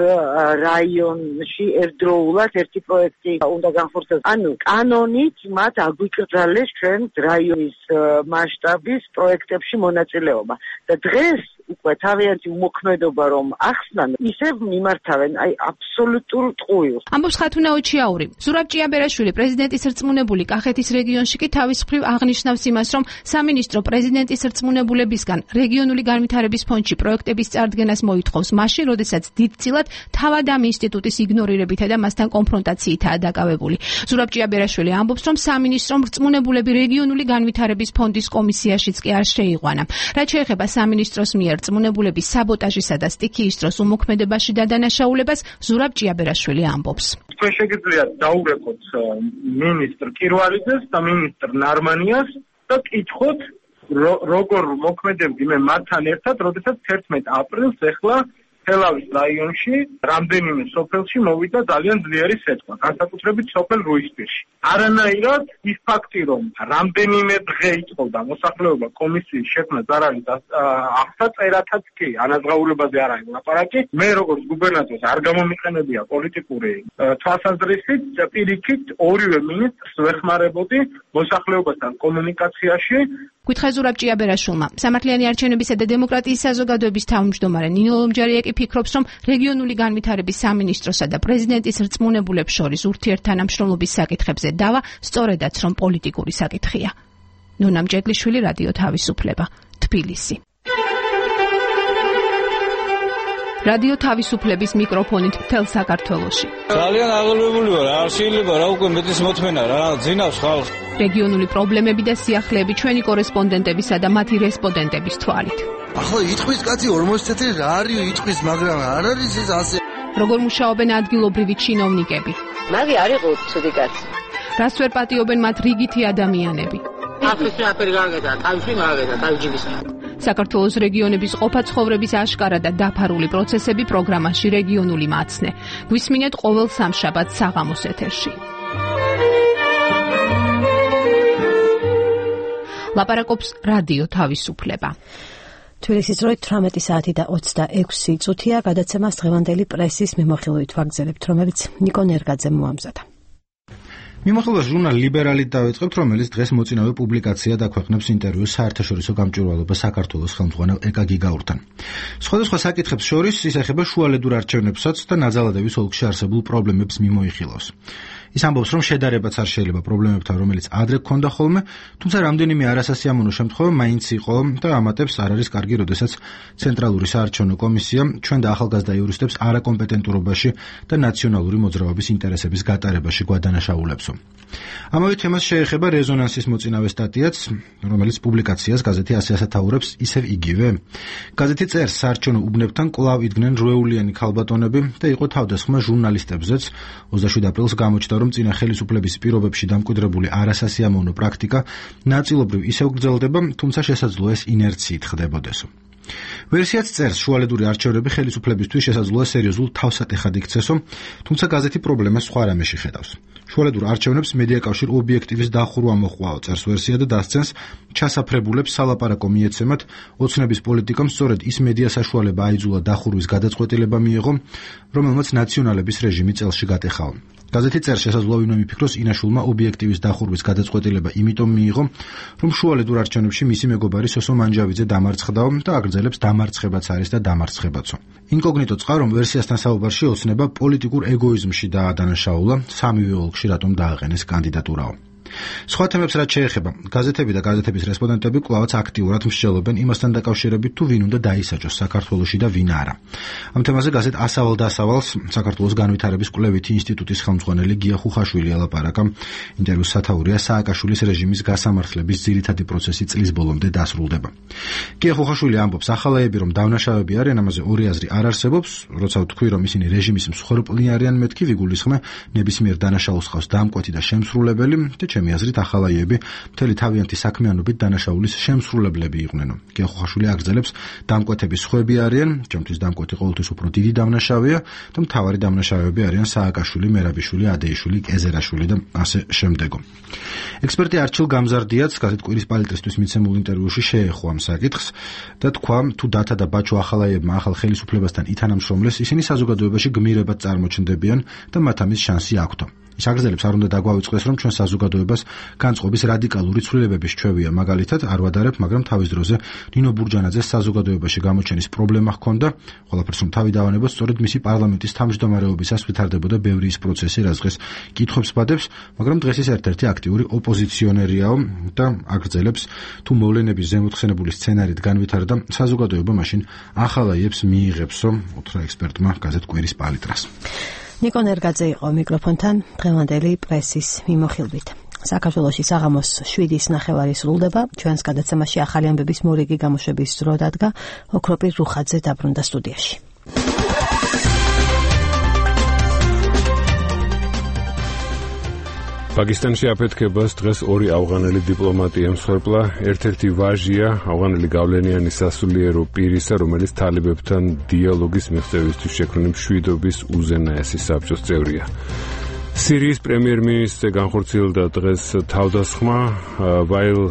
რაიონში ერთდროულად ერთი პროექტი უნდა განხორციელდეს, ანუ კანონით მათ აგვიკრძალეს ჩვენ რაიონის მასშტაბის პროექტებში მონაწილეობა და დღეს უკვე თავიანთი უმოქმედობა რომ ახსნან, ისევ მიმართავენ აბსოლუტურ ტყუილს. ამბობს ხათუნა ოჩიაური. ზურაბ ჭიაბერაშვილი, პრეზიდენტის რწმუნებული კახეთის რეგიონში კი თავის მხრივ აღნიშნავს იმას, რომ სამინისტრო პრეზიდენტის რწმუნებულებისგან რეგიონული განვითარების ფონდში პროექტების წარდგენას მოითხოვს მაშინ, როდესაც დიდწილად თავად ამ ინსტიტუტის იგნორირებითა და მასთან კონფრონტაციითაა დაკავებული. ზურაბ ჭიაბერაშვილი ამბობს, რომ სამინისტრომ რწმუნებულები რეგიონული განვითარების ფონდის კომისიაშიც კი არ შეიყვანა. რაც შეეხება სამინისტროს მიერ რწმუნებულების საბოტაჟისა და სტიქიის დროს უმოქმედებაში დადანაშაულებას, ზურაბ ჭიაბერაშვილი ამბობს. თქვენ შეგიძლიათ დაურეკოთ მინისტრ კირვალიძეს და მინისტრ ნარმანიას და კითხოთ როგორ მოქმედებდი მე მათთან ერთად, როდესაც 11 აპრილს ეხლა თელავის რაიონში რამდენიმე სოფელში მოვიდა ძალიან ძლიერი სეტყვა, განსაკუთრებით სოფელ რუისპირში. არანაირად ის ფაქტი, რომ რამდენიმე დღე იწოვდა მოსახლეობა კომისიის შექმნას არ არის აღსაწერათაც კი, ანაზღაურებაზე არ არის ლაპარაკი. მე როგორც გუბერნატორს არ გამომიყენებია პოლიტიკური თვალსაზრისით, პირიქით ორივე მინისტრს ვეხმარებოდი მოსახლეობასთან კომუნიკაციაში. გითხა ზურაბ ჭიაბერაშვილმა, სამართლიანი არჩევნებისა და დემოკრატიის საზოგადოების თავმჯდომარე ნინო ლომჯარიაკი ფიქრობს, რომ რეგიონული განვითარების სამინისტროსა და პრეზიდენტის რწმუნებულებს შორის ურთიერთთანამშრომლობის საკითხებზე დავა სწორედაც რომ პოლიტიკური საკითხია. ნონა მჭედლიშვილი, რადიო თავისუფლება, თბილისი. რადიო თავისუფლების მიკროფონით მთელ საქართველოში. ძალიან აღელვებული ვარ, არ შეიძლება რა უკვე მეტის მოთმენა რა, ძინავს ხალხს. რეგიონული პრობლემები და სიახლეები ჩვენი კორესპონდენტებისა და მათი რესპონდენტების თვალით. ახლა იტყვის კაცი 40 წელი რა არის იტყვის, მაგრამ არ არის ეს ასე. როგორ მუშაობენ ადგილობრივი ჩინოვნიკები? მაგი არ იყო ცუდი კაცი. რას ვერ პატიობენ მათ რიგითი ადამიანები? აფრიკა აფერი გაგედა, თავში მაგედა, თავჯიბის. საქართველოს რეგიონების ყოფა-ცხოვრების აშკარა და დაფარული პროცესები პროგრამაში რეგიონული მაცნე. გვისმინეთ ყოველ სამშაბათს საღამოს ეთერში. ლაპარაკობს რადიო თავისუფლება. თბილისის დროით 18 საათი და 26 წუთია, გადაცემას დღევანდელი პრესის მიმოხილვით ვაგრძელებთ, რომელიც ნიკო ნერგაძემ მოამზადა. მიმოხილვას ჟურნალ ლიბერალით დავიწყებთ, რომელიც დღეს მოწინავე პუბლიკაცია დაქვეყნებს ინტერვიუს საერთაშორისო გამჭვირვალობა საქართველოს ხელმძღვანელ ეკა გიგაურთან. სხვადასხვა საკითხებს შორის ის ეხება შუალედურ არჩევნებსაც და ნაძალადევის ოლქში არსებულ პრობლემებს მიმოიხილავს. ის ამბობს, რომ შედარებაც არ შეიძლება პრობლემებთან, რომელიც ადრე გქონდა ხოლმე, თუმცა რამდენიმე არასასიამოვნო შემთხვევა მაინც იყო და ამატებს არ არის კარგი, როდესაც ცენტრალური საარჩევნო კომისია ჩვენ და ახალგაზრდა იურისტებს არაკომპეტენტურობაში და ნაციონალური მოძრაობის ინტერესების გატარებაში გვადანაშაულებსო. ამავე თემას შეეხება რეზონანსის მოწინავე სტატიაც, რომელიც პუბლიკაციას გაზეთი ასე ასათაურებს ისევ იგივე. გაზეთი წერს, საარჩევნო უბნებთან კვლავ იდგნენ რვეულიანი ქალბატონები და იყო თავდასხმა ჟურნალისტებზეც. 27 აპრილს გამოჩნდა, რომ წინა ხელისუფლების პირობებში დამკვიდრებული არასასიამოვნო პრაქტიკა ნაწილობრივ ისევ გრძელდება, თუმცა შესაძლოა ეს ინერციით ხდებოდესო. ვერსიაც წერს, შუალედური არჩევნები ხელისუფლებისთვის შესაძლოა სერიოზულ თავსატეხად იქცესო, თუმცა გაზეთი პრობლემას სხვა რამეში ხედავს. შუალედურ არჩევნებს მედიაკავშირ ობიექტივის დახურვა მოჰყვა, წერს ვერსია და დასცენს, ჩასაფრებულებს სალაპარაკო მიეცემათ, ოცნების პოლიტიკამ სწორედ ის მედია საშუალება აიძულა დახურვის გადაწყვეტილება მიიღო, რომელმაც ნაციონალების რეჟიმი წელში გატეხაო. გაზეთი წერს, შესაძლოა ვინმე მიფიქროს, ინაშულმა ობიექტივის დახურვის გადაწყვეტილება იმიტომ მიიღო, რომ შუალედურ არჩევნებში მისი მეგობარი სოსო მანჯავიძე დამარცხდაო და აგრძელებს დამარცხებაც არის და დამარცხებაცო. ინკოგნიტო წყარომ ვერსიასთან საუბარში ოცნება პოლიტიკურ ეგოიზმში დაადანაშაულა, სამივე ოლქში რატომ დააყენეს კანდიდატურაო. სხვა თემებს რაც შეეხება, გაზეთები და გაზეთების რესპონდენტები კვლავაც აქტიურად მსჯელობენ იმასთან დაკავშირებით, თუ ვინ უნდა დაისაჯოს საქართველოში და ვინ არა. ამ თემაზე გაზეთ ასავალ-დასავალს საქართველოს განვითარების კვლევითი ინსტიტუტის ხელმძღვანელი გია ხუხაშვილი ელაპარაკა. ინტერვიუს სათაურია სააკაშვილის რეჟიმის გასამართლების ძირითადი პროცესი წლის ბოლომდე დასრულდება. გია ხუხაშვილი ამბობს, ახალაები რომ დავნაშავები არიან, ამაზე ორი აზრი არ არსებობს, როცა ვთქვი, რომ ისინი რეჟიმის მსხვერპლი არიან, მეთქი ვიგულისხმე ნებისმიერ დანაშაულს ხავს დამკვეთი და შემსრულებელი და ჩემი აზრით ახალაიები მთელი თავიანთი საქმიანობით დანაშაულის შემსრულებლები იყვნენ. გია ხუხაშვილი აგრძელებს, დამკვეთების სხვები არიან, ჩემთვის დამკვეთი ყოველთვის უფრო დიდი დამნაშავეა და მთავარი დამნაშავეები არიან სააკაშვილი, მერაბიშვილი, ადეიშვილი, კეზერაშვილი და ასე შემდეგო. ექსპერტი არჩილ გამზარდიაც გაზეთ კვირის პალიტრისთვის მიცემულ ინტერვიუში შეეხო ამ საკითხს და თქვა, თუ დათა და ბაჩო ახალაიებმა ახალ ხელისუფლებასთან ითანამშრომლეს, ისინი საზოგადოებაში გმირებად წარმოჩნდებიან და მათ ამის შანსი აქვთ. ის აგრძელებს, არ უნდა დაგვავიწყდეს, რომ ჩვენ საზოგადოებას განწყობის რადიკალური ცვლილებების ჩვევია, მაგალითად არ ვადარებ, მაგრამ თავის დროზე ნინო ბურჯანაძეს საზოგადოებაში გამოჩენის პრობლემა ჰქონდა, ყველაფერს რომ თავი დავანებოთ, სწორედ მისი პარლამენტის თავმჯდომარეობისას ვითარდებოდა ბევრი ის პროცესი, რაც დღეს კითხვებს ბადებს, მაგრამ დღეს ის ერთ-ერთი აქტიური ოპოზიციონერიაო და აგრძელებს, თუ მოვლენების ზემოთხსენებული სცენარით განვითარდა, საზოგადოება მაშინ ახალაიებს მიიღებსო, უთხრა ექსპერტმა გაზეთ კვირის პალიტრას. ნიკო ნერგაძე იყო მიკროფონთან დღევანდელი პრესის მიმოხილვით. საქართველოში საღამოს 7:09 სრულდება. ჩვენს გადაცემაში ახალი ამბების მორიგი გამოშვების დრო დადგა. ოქროპირ რუხაძე დაბრუნდა სტუდიაში. პაკისტანში აფეთქებას დღეს ორი ავღანელი დიპლომატი ემსხვერპლა. ერთ-ერთი ვაჟია ავღანელი გავლენიანი სასულიერო პირისა, რომელიც თალებებთან დიალოგის მიღწევისთვის შექმნილი მშვიდობის უზენაესი საბჭოს წევრია. სირიის პრემიერ-მინისტრზე განხორციელდა დღეს თავდასხმა, ვაილ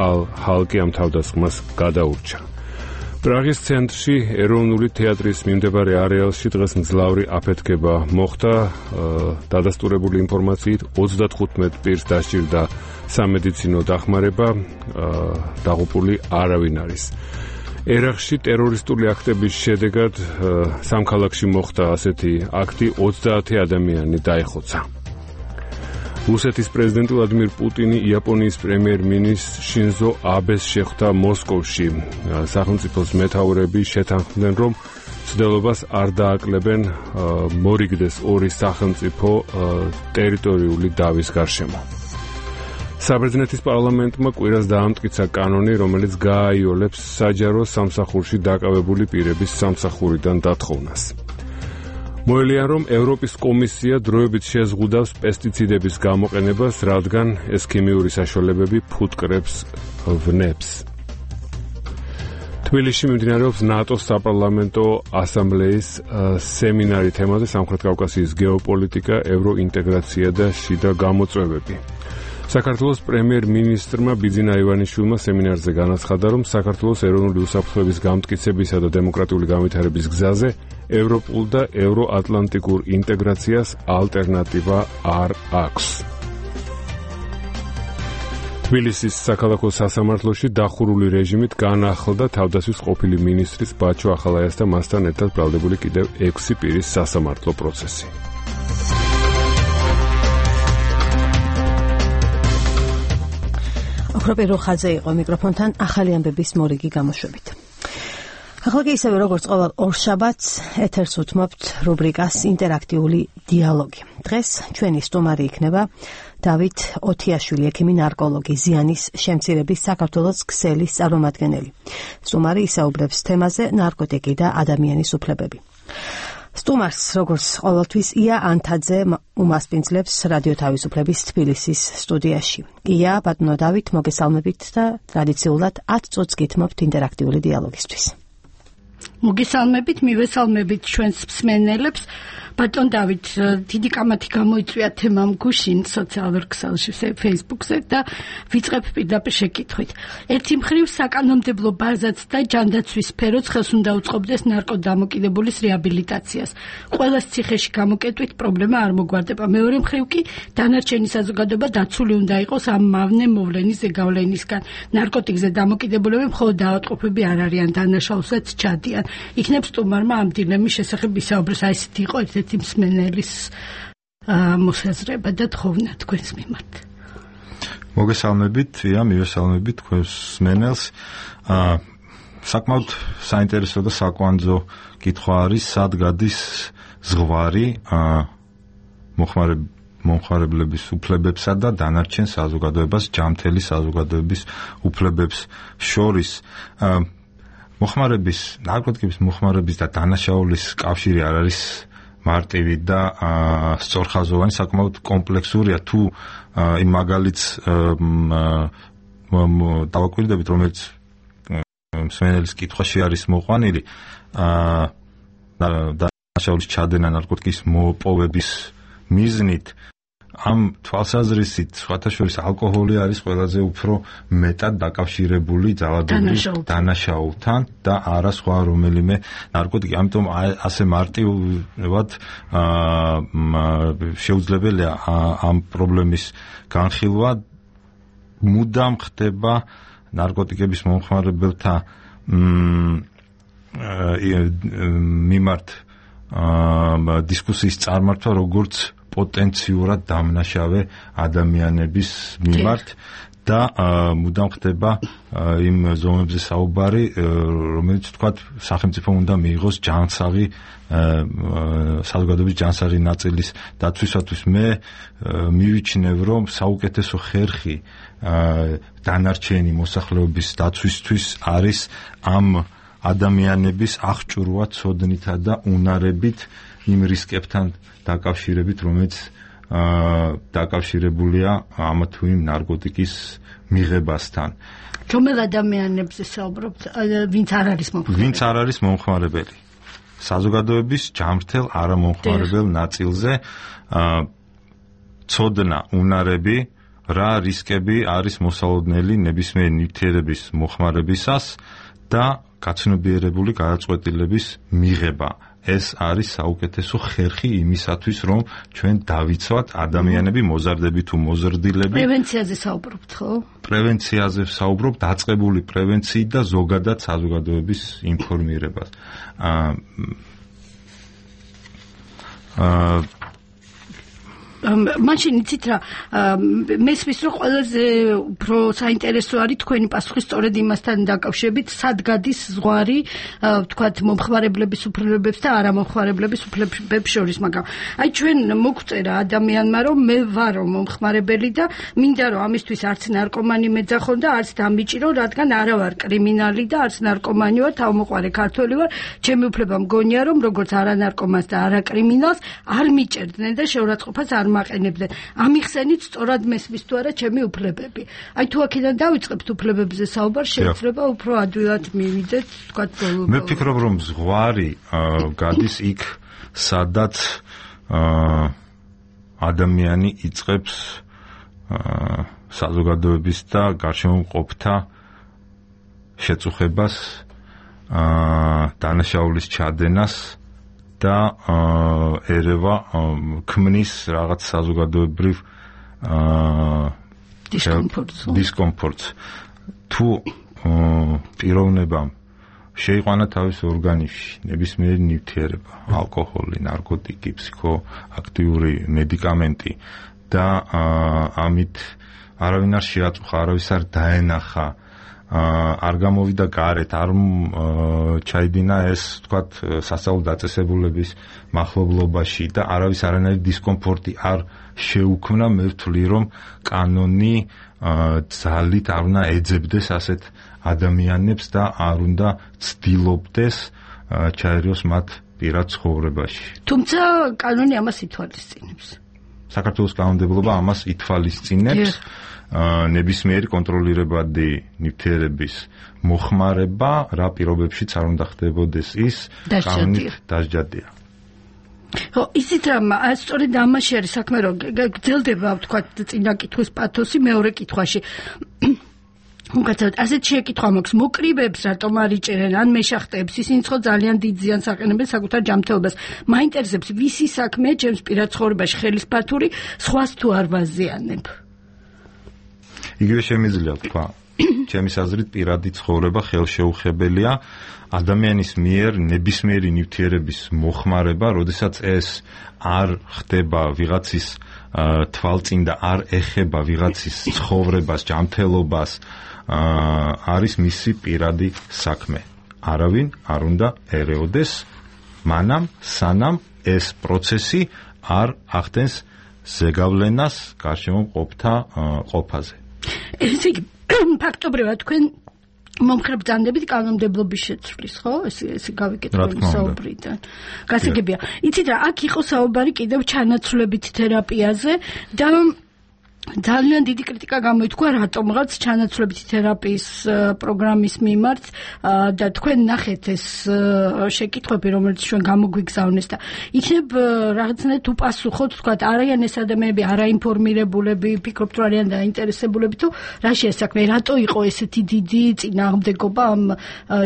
ალ-ჰალკი ამ თავდასხმას გადაურჩა. პრაღის ცენტრში ეროვნული თეატრის მიმდებარე არეალში დღეს მძლავრი აფეთქება მოხდა. დადასტურებული ინფორმაციით 35 პირს დასჭირდა სამედიცინო დახმარება, დაღუპული არავინ არის. ერაყში ტერორისტული აქტების შედეგად სამ ქალაქში მოხდა ასეთი აქტი, 30 ადამიანი დაიხოცა. რუსეთის პრეზიდენტი ვლადიმირ პუტინი იაპონიის პრემიერ-მინისტრ შინზო აბეს შეხვდა მოსკოვში. სახელმწიფოს მეთაურები შეთანხმდნენ, რომ მცდელობას არ დააკლებენ მორიგდეს ორი სახელმწიფო ტერიტორიული დავის გარშემო. საბერძნეთის პარლამენტმა კვირას დაამტკიცა კანონი, რომელიც გააიოლებს საჯარო სამსახურში დაკავებული პირების სამსახურიდან დათხოვნას. მოელიან, რომ ევროპის კომისია დროებით შეზღუდავს პესტიციდების გამოყენებას, რადგან ეს ქიმიური საშუალებები ფუტკრებს ვნებს. თბილისში მიმდინარეობს ნატოს საპარლამენტო ასამბლეის სემინარი თემაზე სამხრეთ კავკასიის გეოპოლიტიკა, ევროინტეგრაცია და შიდა გამოწვევები. საქართველოს პრემიერ-მინისტრმა ბიძინა ივანიშვილმა სემინარზე განაცხადა, რომ საქართველოს ეროვნული უსაფრთხოების გამტკიცებისა და დემოკრატიული განვითარების გზაზე ევროპულ და ევროატლანტიკურ ინტეგრაციას ალტერნატივა არ აქვს. თბილისის საქალაქო სასამართლოში დახურული რეჟიმით განახლდა თავდასხმის ყოფილი მინისტრის ბაჩო ახალაიას და მასთან ერთად ბრალდებული კიდევ 6 პირის სასამართლო პროცესი. ოქროპირო ხაძე იყო მიკროფონთან ახალი ამბების მორიგი გამოშვებით. ახლა კი ისევე როგორც ყოველ ორშაბათს ეთერს უთმობთ რუბრიკას ინტერაქტიული დიალოგი. დღეს ჩვენი სტუმარი იქნება დავით ოთიაშვილი, ექიმი ნარკოლოგი, ზიანის შემცირების საქართველოს ქსელის წარმომადგენელი. სტუმარი ისაუბრებს თემაზე ნარკოტიკი და ადამიანის უფლებები. სტუმარს, როგორც ყოველთვის, ია ანთაძე უმასპინძლებს რადიო თავისუფლების თბილისის სტუდიაში. ია, ბატონო დავით, მოგესალმებით და ტრადიციულად 10 წუთს გითმობთ ინტერაქტიული დიალოგისთვის. მოგესალმებით, მივესალმებით ჩვენს მსმენელებს. ბატონ დავით, დიდი კამათი გამოიწვია თემამ გუშინ სოციალურ ქსელში, Facebook-ზე და ვიწყებ პირდაპირ შეკითხვით. ერთი მხრივ საკანონმდებლო ბაზაც და ჯანდაცვის სფეროც ხელს უნდა უწყობდეს ნარკოდამოკიდებულის რეაბილიტაციას. ყველას ციხეში გამოკეტვით პრობლემა არ მოგვარდება. მეორე მხრივ კი დანარჩენი საზოგადოება დაცული უნდა იყოს ამ მავნე მოვლენის ზეგავლენისგან. ნარკოტიკზე დამოკიდებულები მხოლოდ დაავადყოფები არ არიან, დანაშაულსაც ჩადიან. იქნებ სტუმარმა ამ დილემის შესახებ ისაუბროს, აი ესეთი იყო ერთ-ერთი მსმენელის მოსაზრება და თხოვნა თქვენს მიმართ. მოგესალმებით, მივესალმებით თქვენს მსმენელს. საკმაოდ საინტერესო და საკვანძო კითხვა არის, სად გადის ზღვარი მომხმარებლების უფლებებსა და დანარჩენ საზოგადოებას, ჯანმრთელი საზოგადოების უფლებებს შორის. ნარკოტიკების მოხმარების და დანაშაულის კავშირი არ არის მარტივი და სწორხაზოვანი, საკმაოდ კომპლექსურია. თუ იმ მაგალითს დავაკვირდებით, რომელიც მსმენელის კითხვაში არის მოყვანილი, დანაშაულის ჩადენა ნარკოტიკის მოპოვების მიზნით, ამ თვალსაზრისით სხვათა შორის ალკოჰოლი არის ყველაზე უფრო მეტად დაკავშირებული ძალადობის დანაშაულთან და არა სხვა რომელიმე ნარკოტიკი. ამიტომ ასე მარტივად შეუძლებელია ამ პრობლემის განხილვა. მუდამ ხდება ნარკოტიკების მომხმარებელთა მიმართ დისკუსიის წარმართვა, როგორც პოტენციურად დამნაშავე ადამიანების მიმართ და მუდამ ხდება იმ ზომებზე საუბარი, რომელიც თქვათ სახელმწიფომ უნდა მიიღოს ჯანსაღი საზოგადოების ჯანსაღი ნაწილის დაცვისათვის. მე მივიჩნევ, რომ საუკეთესო ხერხი დანარჩენი მოსახლეობის დაცვისთვის არის ამ ადამიანების აღჭურვა ცოდნითა და უნარებით იმ რისკებთან დაკავშირებით, რომელიც დაკავშირებულია ამა თუ იმ ნარკოტიკის მიღებასთან. რომელ ადამიანებზე საუბრობთ, ვინც არ არის მომხმარებელი? საზოგადოების ჯამრთელ არამომხმარებელ ნაწილზე ცოდნა, უნარები, რა რისკები არის მოსალოდნელი ნებისმიერი ნივთიერების მოხმარებისას და გაცნობიერებული გადაწყვეტილების მიღება. ეს არის საუკეთესო ხერხი იმისათვის, რომ ჩვენ დავიცვათ ადამიანები მოზარდები თუ მოზრდილები. პრევენციაზე საუბრობთ, ხო? პრევენციაზე ვსაუბრობ, დაწყებული პრევენციით და ზოგადად საზოგადოების ინფორმირებას. მაშინ იცით რა, მესმის რომ ყველაზე უფრო საინტერესო არის თქვენი პასუხი სწორედ იმასთან დაკავშირებით, სად გადის ზღვარი, ვთქვათ, მომხმარებლების უფლებებს და არამომხმარებლების უფლებებს შორის, მაგრამ აი ჩვენ მოგწერა ადამიანმა, რომ მე ვარო მომხმარებელი და მინდა რომ ამისთვის არც ნარკომანი მეძახონ და არც დამიჭირო, რადგან არა ვარ კრიმინალი და არც ნარკომანი ვარ, თავმოყარე ქართველი ვარ, ჩემი უფლება მგონია რომ როგორც არანარკომანს და არაკრიმინალს არ მიჭერდნენ და შეურაცხყოფას არ მაყენებდნენ. ამიხსენით სწორად მესმის თუ არა ჩემი უფლებები. აი თუ აქედან დავიწყებთ უფლებებზე საუბარ, შეიძლება უფრო ადვილად მივიდეთ, თქვათ ბოლო. მე ვფიქრობ, რომ ზღვარი გადის იქ, სადაც ადამიანი იწყებს საზოგადოების და გარშემოყოფთა შეწუხებას, დანაშაულის ჩადენას და ერევა ქმნის რაღაც საზოგადოებრივ დისკომფორტს. თუ პიროვნებამ შეიყვანა თავის ორგანიზმში ნებისმიერი ნივთიერება, ალკოჰოლი, ნარკოტიკი, ფსიქოაქტიური მედიკამენტი და ამით არავინ არ შეაწუხა, არავის არ დაენახა, არ გამოვიდა გარეთ, არ ჩაიდინა ეს, ვთქვათ, სასწავლო დაწესებულების მახლობლობაში და არავის არანაირი დისკომფორტი არ შეუქმნა, მე ვთვლი, რომ კანონი ძალით არ უნდა ეძებდეს ასეთ ადამიანებს და არ უნდა ცდილობდეს ჩაერიოს მათ პირად ცხოვრებაში. თუმცა კანონი ამას ითვალისწინებს. საქართველოს კანონმდებლობა ამას ითვალისწინებს. ნებისმიერი კონტროლირებადი ნივთიერების მოხმარება რა პირობებშიც არ უნდა ხდებოდეს ის კანონით დასჯადია. ხო, ისიც რა, სწორედ ამაში არის საქმე, რომ გრძელდება, ვთქვათ, წინა კითხვის პათოსი მეორე კითხვაში. უკაცრავად ასეთ შეკითხვა მაქვს, მოკრივეებს რატომ არ იჭერენ ან მეშახტეებს, ისინი ხო ძალიან დიდ ზიანს აყენებენ საკუთარ ჯანმრთელობას. მაინტერესებს ვისი საქმეა ჩემს პირად ცხოვრებაში ხელისფათური, სხვას თუ არ ვაზიანებ. იგივე შემიძლია თქვა, ჩემის აზრით პირადი ცხოვრება ხელშეუხებელია ადამიანის მიერ ნებისმიერი ნივთიერების მოხმარება, როდესაც ეს არ ხდება ვიღაცის თვალწინ და არ ეხება ვიღაცის ცხოვრებას, ჯანმრთელობას, არის მისი პირადი საქმე. არავინ არ უნდა ერეოდეს მანამ, სანამ ეს პროცესი არ ახდენს ზეგავლენას გარშემოყოფთა ყოფაზე. ესე იგი, ფაქტობრივად თქვენ მომხრებდანდებით კანონმდებლობის შეცვლის, ხო? ესე გავიგეთ თქვენი საუბრიდან. გასაგებია. იცით რა, აქ იყო საუბარი კიდევ ჩანაცვლებით თერაპიაზე და ძალიან დიდი კრიტიკა გამოითქვა რატომღაც ჩანაცვლებითი თერაპიის პროგრამის მიმართ და თქვენ ნახეთ ეს შეკითხვები, რომელიც ჩვენ გამოგვიგზავნეს და იქნებ რაღაცნაირად უპასუხოთ, თქვათ, არიან ეს ადამიანები არაინფორმირებულები, ფიქრობთ რომ არიან დაინტერესებულები თუ რაშია საქმე, რატო იყო ესეთი დიდი წინააღმდეგობა ამ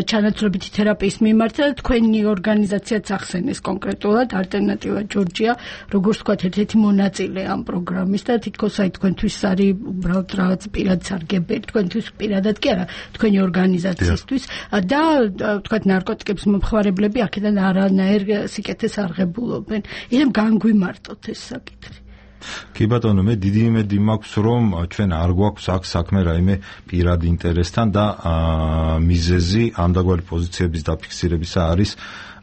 ჩანაცვლებითი თერაპიის მიმართ და თქვენი ორგანიზაციაც ახსენეს კონკრეტულად ალტერნატივა ჯორჯია, როგორც თქვათ, ერთ-ერთი მონაწილე ამ პროგრამის და თითქოს აი თქვენთვის არის უბრალოდ რაღაც პირად სარგებელი, თქვენთვის პირადად კი არა, თქვენი ორგანიზაციისთვის და თქვათ ნარკოტიკების მომხმარებლები აქედან არანაირ სიკეთეს არ ღებულობენ. ისე განგვიმარტოთ ეს საკითხი. კი ბატონო, მე დიდი იმედი მაქვს, რომ ჩვენ არ გვაქვს აქ საქმე რაიმე პირად ინტერესთან და მიზეზი ამდაგვარი პოზიციების დაფიქსირებისა არის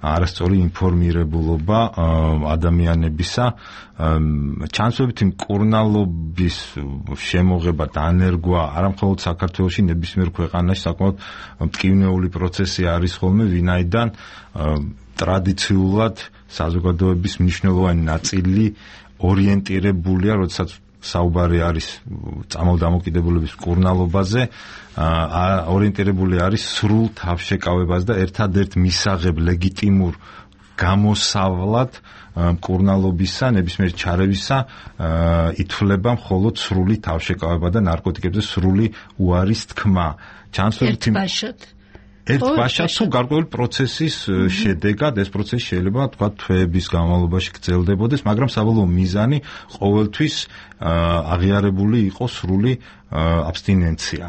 არასწორი ინფორმირებულობა ადამიანებისა, ჩანაცვლებითი მკურნალობის შემოღება და ანერგვა არამხოლოდ საქართველოში, ნებისმიერ ქვეყანაში საკმაოდ მტკივნეული პროცესი არის ხოლმე, ვინაიდან ტრადიციულად საზოგადოების მნიშვნელოვანი ნაწილი ორიენტირებულია, როდესაც საუბარი არის წამალდამოკიდებულების მკურნალობაზე, ორიენტირებული არის სრულ თავშეკავებას და ერთადერთ მისაღებ ლეგიტიმურ გამოსავლად მკურნალობისა, ნებისმიერ ჩარევისა ითვლება მხოლოდ სრული თავშეკავება და ნარკოტიკებზე სრული უარის თქმა. ერთ ბაშად თუ გარკვეული პროცესის შედეგად ეს პროცესი შეიძლება თქვა თვეების განმავლობაში გრძელდებოდეს, მაგრამ საბოლოო მიზანი ყოველთვის აღიარებული იყო სრული აბსტინენცია.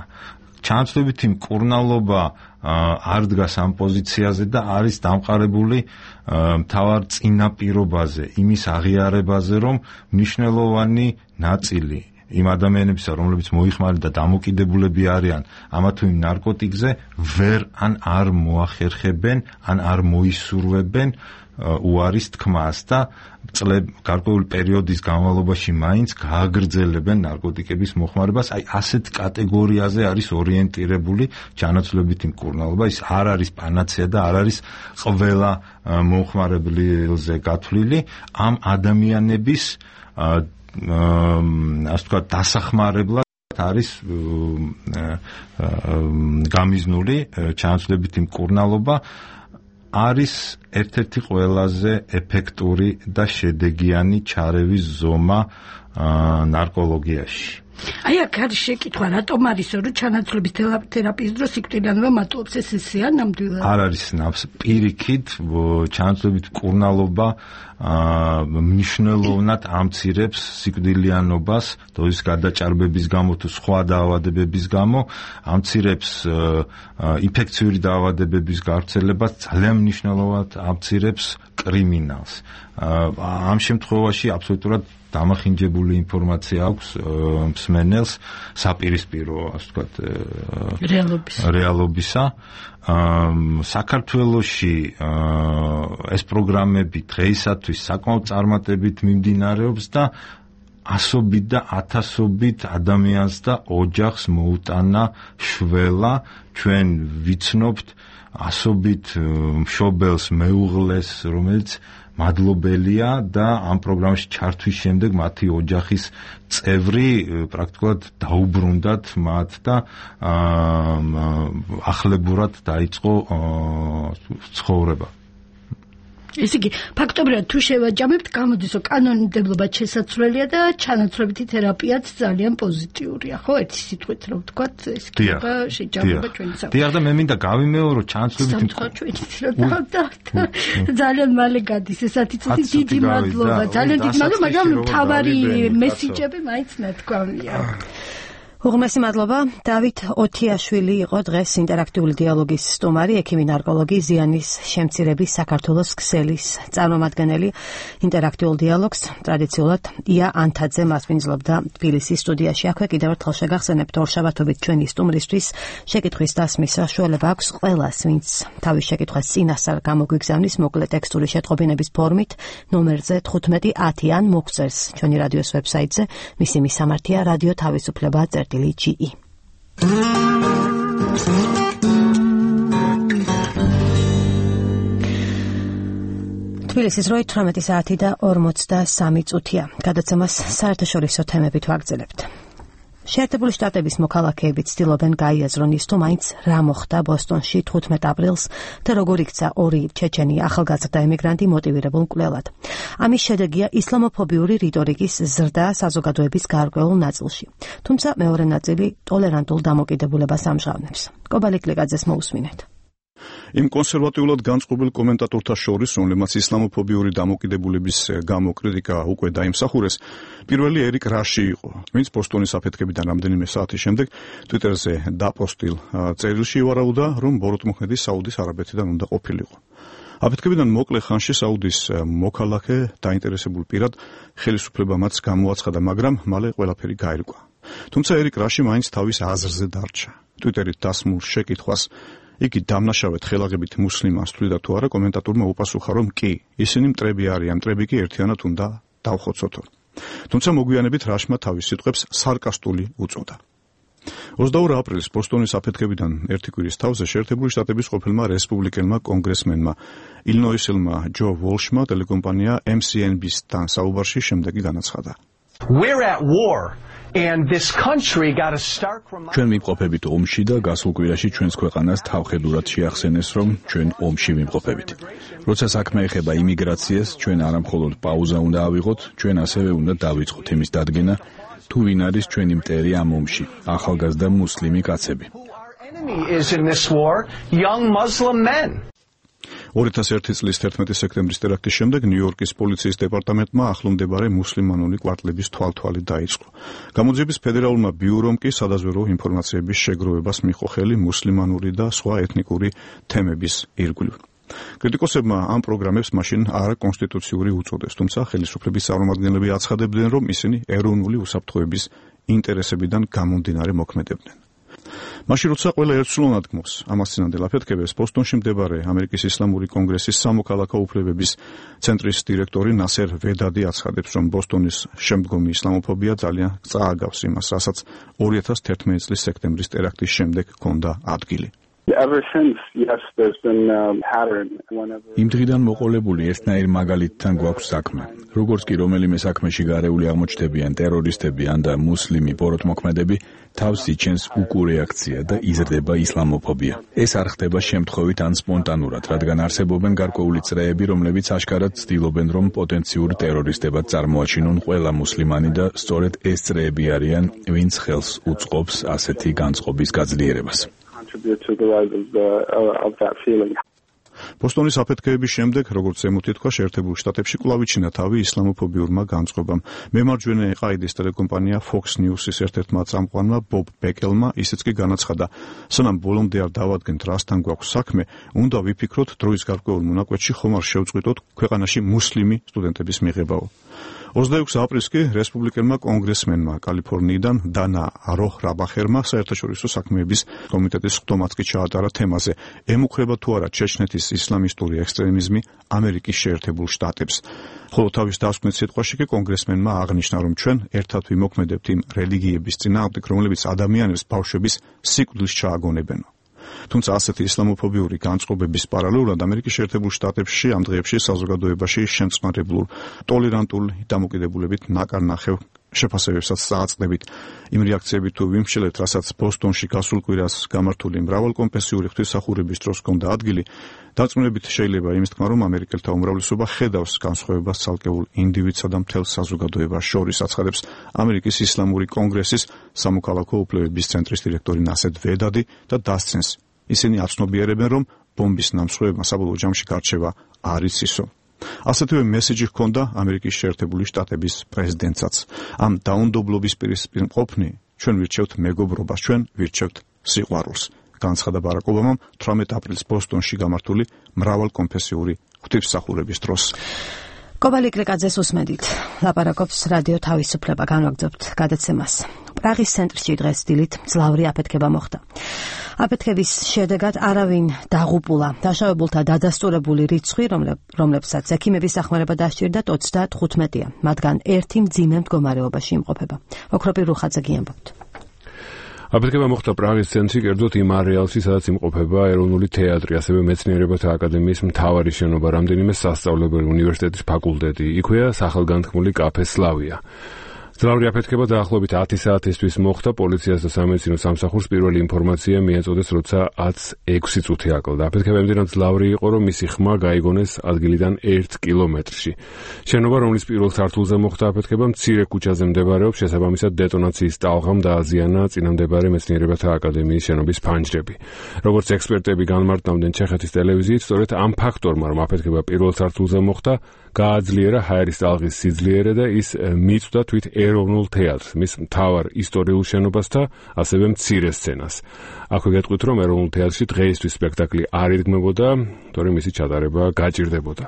ჩანაცვლებითი მკურნალობა არ დგას ამ პოზიციაზე და არის დამყარებული მთავარ წინაპირობაზე, იმის აღიარებაზე, რომ მნიშვნელოვანი ნაწილი იმ ადამიანებისა, რომლებიც მოიხმარენ და დამოკიდებულები არიან ამა თუ იმ ნარკოტიკზე, ვერ ან არ მოახერხებენ, ან არ მოისურვებენ უარის თქმას და გარკვეული პერიოდის განმავლობაში მაინც გააგრძელებენ ნარკოტიკების მოხმარებას. აი ასეთ კატეგორიაზე არის ორიენტირებული ჩანაცვლებითი მკურნალობა. ის არ არის პანაცეა და არ არის ყველა მომხმარებელზე გათვლილი. ამ ადამიანების ასე ვთქვათ დასახმარებლად არის გამიზნული ჩანაცვლებითი მკურნალობა. არის ერთ-ერთი ყველაზე ეფექტური და შედეგიანი ჩარევის ზომა ნარკოლოგიაში. აი აქ არის შეკითხვა, რატომ არის რომ ჩანაცვლების თერაპიის დროს სიკვდილიანობა მატულობს, ეს ისეა ნამდვილად? არ არის ნავს პირიქით, ჩანაცვლებით მკურნალობა მნიშვნელოვნად ამცირებს სიკვდილიანობას, დოზის გადაჭარბების გამო თუ სხვა დაავადებების გამო, ამცირებს ინფექციური დაავადებების გავრცელებას, ძალიან მნიშვნელოვნად ამცირებს კრიმინალს. ამ შემთხვევაში აბსოლუტურად დამახინჯებული ინფორმაცია აქვს მსმენელს საპირისპირო, ასე ვთქვათ, რეალობისა. საქართველოში ეს პროგრამები დღეისათვის საკმაოდ წარმატებით მიმდინარეობს და ასობით და ათასობით ადამიანს და ოჯახს მოუტანა შველა. ჩვენ ვიცნობთ ასობით მშობელს, მეუღლეს, რომელიც მადლობელია და ამ პროგრამაში ჩართვის შემდეგ მათი ოჯახის წევრი პრაქტიკულად დაუბრუნდათ მათ და ახლებურად დაიწყო ცხოვრება. ესე იგი, ფაქტობრივად თუ შევაჯამებთ, გამოდის, რომ კანონმდებლობაც შესაძლებელია და ჩანაცვლებითი თერაპიაც ძალიან პოზიტიურია, ხო? ერთი სიტყვით რომ ვთქვათ, ეს იქნება შეჯამება ჩვენი საქმე. დიახ, და მე მინდა გავიმეორო ჩანაცვლებითი ძალიან მალე გადის, ესეთი წუთი დიდი მადლობა, ძალიან დიდი მადლობა, მაგრამ თავარი მესიჯები მაინც ნათქვამია. უღმესი მადლობა. დავით ოთიაშვილი იყო დღეს ინტერაქტიული დიალოგის სტუმარი, ექიმი ნარკოლოგი, ზიანის შემცირების საქართველოს ქსელის წარმომადგენელი. ინტერაქტიულ დიალოგს ტრადიციულად ია ანთაძე მასპინძლობდა თბილისის სტუდიაში. აქვე კიდევ ერთხელ შეგახსენებთ, ორშაბათობით ჩვენი სტუმრისთვის შეკითხვის დასმის საშუალება აქვს ყველას, ვინც თავის შეკითხვას წინასწარ გამოგვიგზავნის მოკლე ტექსტური შეტყობინების ფორმით ნომერზე 1510 ან მოგწერს ჩვენი რადიოს ვებსაიტზე. მისი მისამართია რადიო თავისუფლება GE. თბილისის როი 18 საათი და 43 წუთია. გადაცემას საერთაშორისო თემებით ვაგრძელებთ. შეერთებული შტატების მოქალაქეები ცდილობენ გაიაზრონ ის თუ მაინც რა მოხდა ბოსტონში 15 აპრილს და როგორ იქცა ორი ჩეჩენი ახალგაზრდა ემიგრანტი მოტივირებულ მკვლელად. ამის შედეგია ისლამოფობიური რიტორიკის ზრდა საზოგადოების გარკვეულ ნაწილში. თუმცა მეორე ნაწილი ტოლერანტულ დამოკიდებულებას ამჟღავნებს. კობალი კლიკაძეს მოусმინეთ. იმ კონსერვატიულად განწყობილ კომენტატორთა შორის, რომლებმაც ისლამოფობიური დამოკიდებულების გამო კრიტიკა უკვე დაიმსახურეს, პირველი ერიკ რაში იყო, ვინც ბოსტონის აფეთქებიდან რამდენიმე საათის შემდეგ ტვიტერზე დაპოსტილ წერილში ვარაუდა, რომ ბოროტმოქმედი საუდის არაბეთიდან უნდა ყოფილიყო. აფეთქებიდან მოკლე ხანში საუდის მოქალაქე დაინტერესებულ პირად ხელისუფლება მას გამოაცხადა, მაგრამ მალე ყველაფერი გაირკვა. თუმცა ერიკ რაში მაინც თავის აზრზე დარჩა. ტვიტერით დასმულ შეკითხვას იგი დამნაშავედ ხელაღებით მუსლიმანს თვლიდა თუ არა, კომენტატორმა უპასუხა, რომ კი, ისინი მტრები არიან, მტრები კი ერთიანად უნდა დავხოცოთო. თუმცა მოგვიანებით რაშმა თავის სიტყვებს სარკასტული უწოდა. 22 აპრილის ბოსტონის აფეთქებიდან ერთი კვირის თავზე შეერთებული შტატების ყოფილმა რესპუბლიკელმა კონგრესმენმა ილინოისელმა ჯო ვოლშმა ტელეკომპანია MCNBC-თან საუბარში შემდეგი განაცხადა. We're at war. And this country got to start from ჩვენ ვიმყოფებით ომში და გასულ კვირაში ჩვენს ქვეყანას თავხედურად შეახსენეს, რომ ჩვენ ომში ვიმყოფებით. როცა საქმე ეხება იმიგრაციას, ჩვენ არა მხოლოდ პაუზა უნდა ავიღოთ, ჩვენ ასევე უნდა დავიწყოთ იმის დადგენა, თუ ვინ არის ჩვენი მტერი ამ ომში, ახალგაზრდა მუსლიმი კაცები. 2001 წლის 11 სექტემბრის ტერაქტის შემდეგ ნიუ-იორკის პოლიციის დეპარტამენტმა ახლომდებარე მუსლიმანური კვარტლების თვალთვალი დაიწყო. გამოძიების ფედერალურმა ბიურომ კი სადაზვერვო ინფორმაციების შეგროვებას მიიღო ხელი მუსლიმანური და სხვა ეთნიკური თემების ირგვლივ. კრიტიკოსებმა ამ პროგრამებს მაშინ არაკონსტიტუციური უწოდეს, თუმცა ხელისუფლების წარმომადგენლები აცხადებდნენ, რომ ისინი ეროვნული უსაფრთხოების ინტერესებიდან გამომდინარე მოქმედებდნენ. მაშინ როცა ყველა ერთსულოვნად გმოს ამას წინანდელ აფეთქებებს, ბოსტონში მდებარე ამერიკის ისლამური კონგრესის სამოქალაქო უფლებების ცენტრის დირექტორი ნასერ ვედადი აცხადებს, რომ ბოსტონის შემდგომი ისლამოფობია ძალიან წააგავს იმას, რასაც 2011 წლის სექტემბრის ტერაქტის შემდეგ ჰქონდა ადგილი. იმ დღიდან მოყოლებული ერთნაირ მაგალითთან გვაქვს საქმე. როგორც კი რომელიმე საქმეში გარეული აღმოჩნდებიან ტერორისტები ან და მუსლიმი ბოროტმოქმედები, თავს იჩენს უკურეაქცია და იზრდება ისლამოფობია. ეს არ ხდება შემთხვევით ან სპონტანურად, რადგან არსებობენ გარკვეული წრეები, რომლებიც აშკარად ცდილობენ, რომ პოტენციურ ტერორისტებად წარმოაჩინონ ყველა მუსლიმანი და სწორედ ეს წრეები არიან, ვინც ხელს უწყობს ასეთი განწყობის გაძლიერებას. ბოსტონის აფეთქებების შემდეგ, როგორც ზემოთი თქვა, შეერთებულ შტატებში კვლავ იჩინა თავი ისლამოფობიურმა განწყობამ. მემარჯვენე ყაიდის ტელეკომპანია Fox News-ის ერთ-ერთმა წამყვანმა ბობ ბეკელმა ისიც კი განაცხადა, სანამ ბოლომდე არ დავადგენთ რასთან გვაქვს საქმე, უნდა ვიფიქროთ დროის გარკვეულ მონაკვეთში ხომ არ შევწყვიტოთ ქვეყანაში მუსლიმი სტუდენტების მიღებაო. 26 აპრილს კი რესპუბლიკელმა კონგრესმენმა კალიფორნიიდან დანა როჰ-რაბახერმა საერთაშორისო საქმეების კომიტეტის ხდომაც კი ჩაატარა თემაზე, ემუქრება თუ არა ჩეჩნეთის ისლამისტური ექსტრემიზმი ამერიკის შეერთებულ შტატებს. ხოლო თავის დასკვნით სიტყვაში კი კონგრესმენმა აღნიშნა, რომ ჩვენ ერთად ვიმოქმედებთ იმ რელიგიების წინააღმდეგ, რომლებიც ადამიანებს ბავშვების სიკვდილს ჩააგონებენ. თუმცა ასეთი ისლამოფობიური განწყობების პარალელურად ამერიკის შეერთებულ შტატებში ამ დღეებში საზოგადოებაში შემწყნარებლურ ტოლერანტულ დამოკიდებულებით ნაკარნახევ შეფასებებსაც წააწყდებით. იმ რეაქციებით თუ ვიმსჯელეთ, რასაც ბოსტონში გასულ კვირას გამართული მრავალკონფესიური ღვთისმსახურების დროს ჰქონდა ადგილი, დარწმუნებით შეიძლება იმის თქმა, რომ ამერიკელთა უმრავლესობა ხედავს განსხვავებას ცალკეულ ინდივიდსა და მთელ საზოგადოებას შორის, აცხადებს ამერიკის ისლამური კონგრესის სამოქალაქო უფლებების ცენტრის დირექტორი ნასერ ვედადი და დასცენს, ისინი აცნობიერებენ, რომ ბომბის ნამსხვრევებმა საბოლოო ჯამში გარჩევა არ იცისო. ასეთივე მესიჯი ჰქონდა ამერიკის შეერთებული შტატების პრეზიდენტსაც. ამ დაუნდობლობის პირისპირ მყოფნი, ჩვენ ვირჩევთ მეგობრობას, ჩვენ ვირჩევთ სიყვარულს, განცხადა ბარაკ ობამამ 18 აპრილს ბოსტონში გამართული მრავალკონფესიური ღვთისმსახურების დროს. კობალი კრიკაძეს უსმენთ. ლაპარაკობს რადიო თავისუფლება, განვაგრძობთ გადაცემას. პრაღის ცენტრში დღეს დილით მძლავრი აფეთქება მოხდა. აფეთქების შედეგად არავინ დაღუპულა. დაშავებულთა დადასტურებული რიცხვი, რომლებსაც ექიმების დახმარება დასჭირდათ 35-ია, მათგან ერთი მძიმე მდგომარეობაში იმყოფება. ოქროპირ რუხაძე გიამბობთ. აფეთქება მოხდა პრაღის ცენტრში, კერძოდ იმ არეალში, სადაც იმყოფება ეროვნული თეატრი, ასევე მეცნიერებათა აკადემიის მთავარი შენობა, რამდენიმე სასწავლებელი, უნივერსიტეტის ფაკულტეტი. იქვეა სახელგანთქმული კაფე სლავია. მძლავრი აფეთქება დაახლოებით 10 საათისთვის მოხდა. პოლიციას და სამედიცინო სამსახურს პირველი ინფორმაცია მიეწოდეს, როცა 10:06 წუთი აკლდა. აფეთქება იმდენად მძლავრი იყო, რომ მისი ხმა გაიგონეს ადგილიდან 1 კილომეტრში. შენობა, რომლის პირველ სართულზე მოხდა აფეთქება, მცირე ქუჩაზე მდებარეობს, შესაბამისად დეტონაციის ტალღამ დააზიანა წინამდებარე მეცნიერებათა აკადემიის შენობის ფანჯრები. როგორც ექსპერტები განმარტავდნენ ჩეხეთის ტელევიზიით, სწორედ ამ ფაქტორმა, რომ აფეთქება პირველ სართულზე მოხდა, გააძლიერა ჰაერის ტალღის სიძლიერე და ის მიწვდა თვით ეროვნულ თეატრს, მის მთავარ ისტორიულ შენობას და ასევე მცირე სცენას. აქვე გეტყვით, რომ ეროვნულ თეატრში დღეისთვის სპექტაკლი არ ირგმებოდა, თორემ მისი ჩატარება გაჭირდებოდა.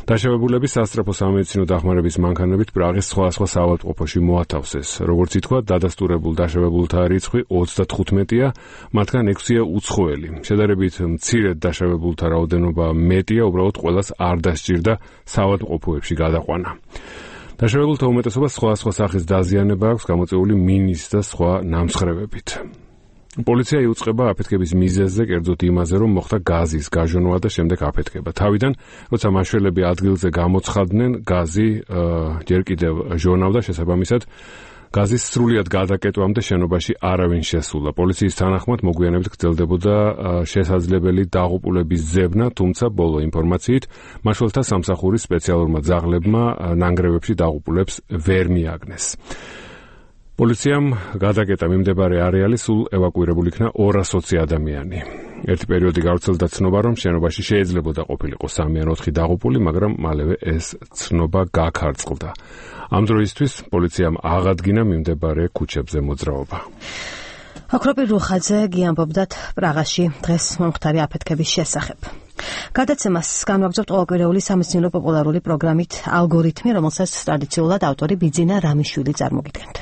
დაშავებულების სასწრაფო სამედიცინო დახმარების მანქანებით პრაღის სხვადასხვა საავადმყოფოში მოათავსეს. როგორც ითქვა, დადასტურებულ დაშავებულთა რიცხვი 35-ია, მათგან 6-ია უცხოელი. შედარებით მცირედ დაშავებულთა რაოდენობა მეტია, უბრალოდ ყველას არ დასჭირდა საავადმყოფოებში გადაყვანა. დაშავებულთა უმეტესობას სხვა სახის დაზიანება აქვს გამოწვეული მინის და სხვა ნამსხრევებით. პოლიცია იუწყება აფეთქების მიზეზზე, კერძოდ იმაზე, რომ მოხდა გაზის გაჟონვა და შემდეგ აფეთქება. თავიდან, როცა მაშველები ადგილზე გამოცხადდნენ, გაზი ჯერ კიდევ ჟონავდა, შესაბამისად გაზის სრულიად გადაკეტვამდე შენობაში არავინ შესულა. პოლიციის თანახმად მოგვიანებით გრძელდებოდა შესაძლებელი დაღუპულების ძებნა, თუმცა ბოლო ინფორმაციით მაშველთა სამსახურის სპეციალურმა ძაღლებმა ნანგრევებში დაღუპულებს ვერ მიაგნეს. პოლიციამ გადაკეტა მიმდებარე არეალი, სულ ევაკუირებული იქნა 220 ადამიანი. ერთი პერიოდი გავრცელდა ცნობა, რომ შენობაში შეიძლებოდა ყოფილიყო 3 ან 4 დაღუპული, მაგრამ მალევე ეს ცნობა გაქარწყლდა. ამ დროისთვის პოლიციამ აღადგინა მიმდებარე ქუჩებზე მოძრაობა. აკროპი რუხაძე გიამბობდათ პრაღაში დღეს მომხდარი აფეთქების შესახებ. გადაცემას განვაგრძობთ ყოველკვირეული სამეცნიერო პოპულარული პროგრამით ალგორითმი, რომელსაც ტრადიციულად ავტორი ბიძინა რამიშვილი წარმოგიდგენთ.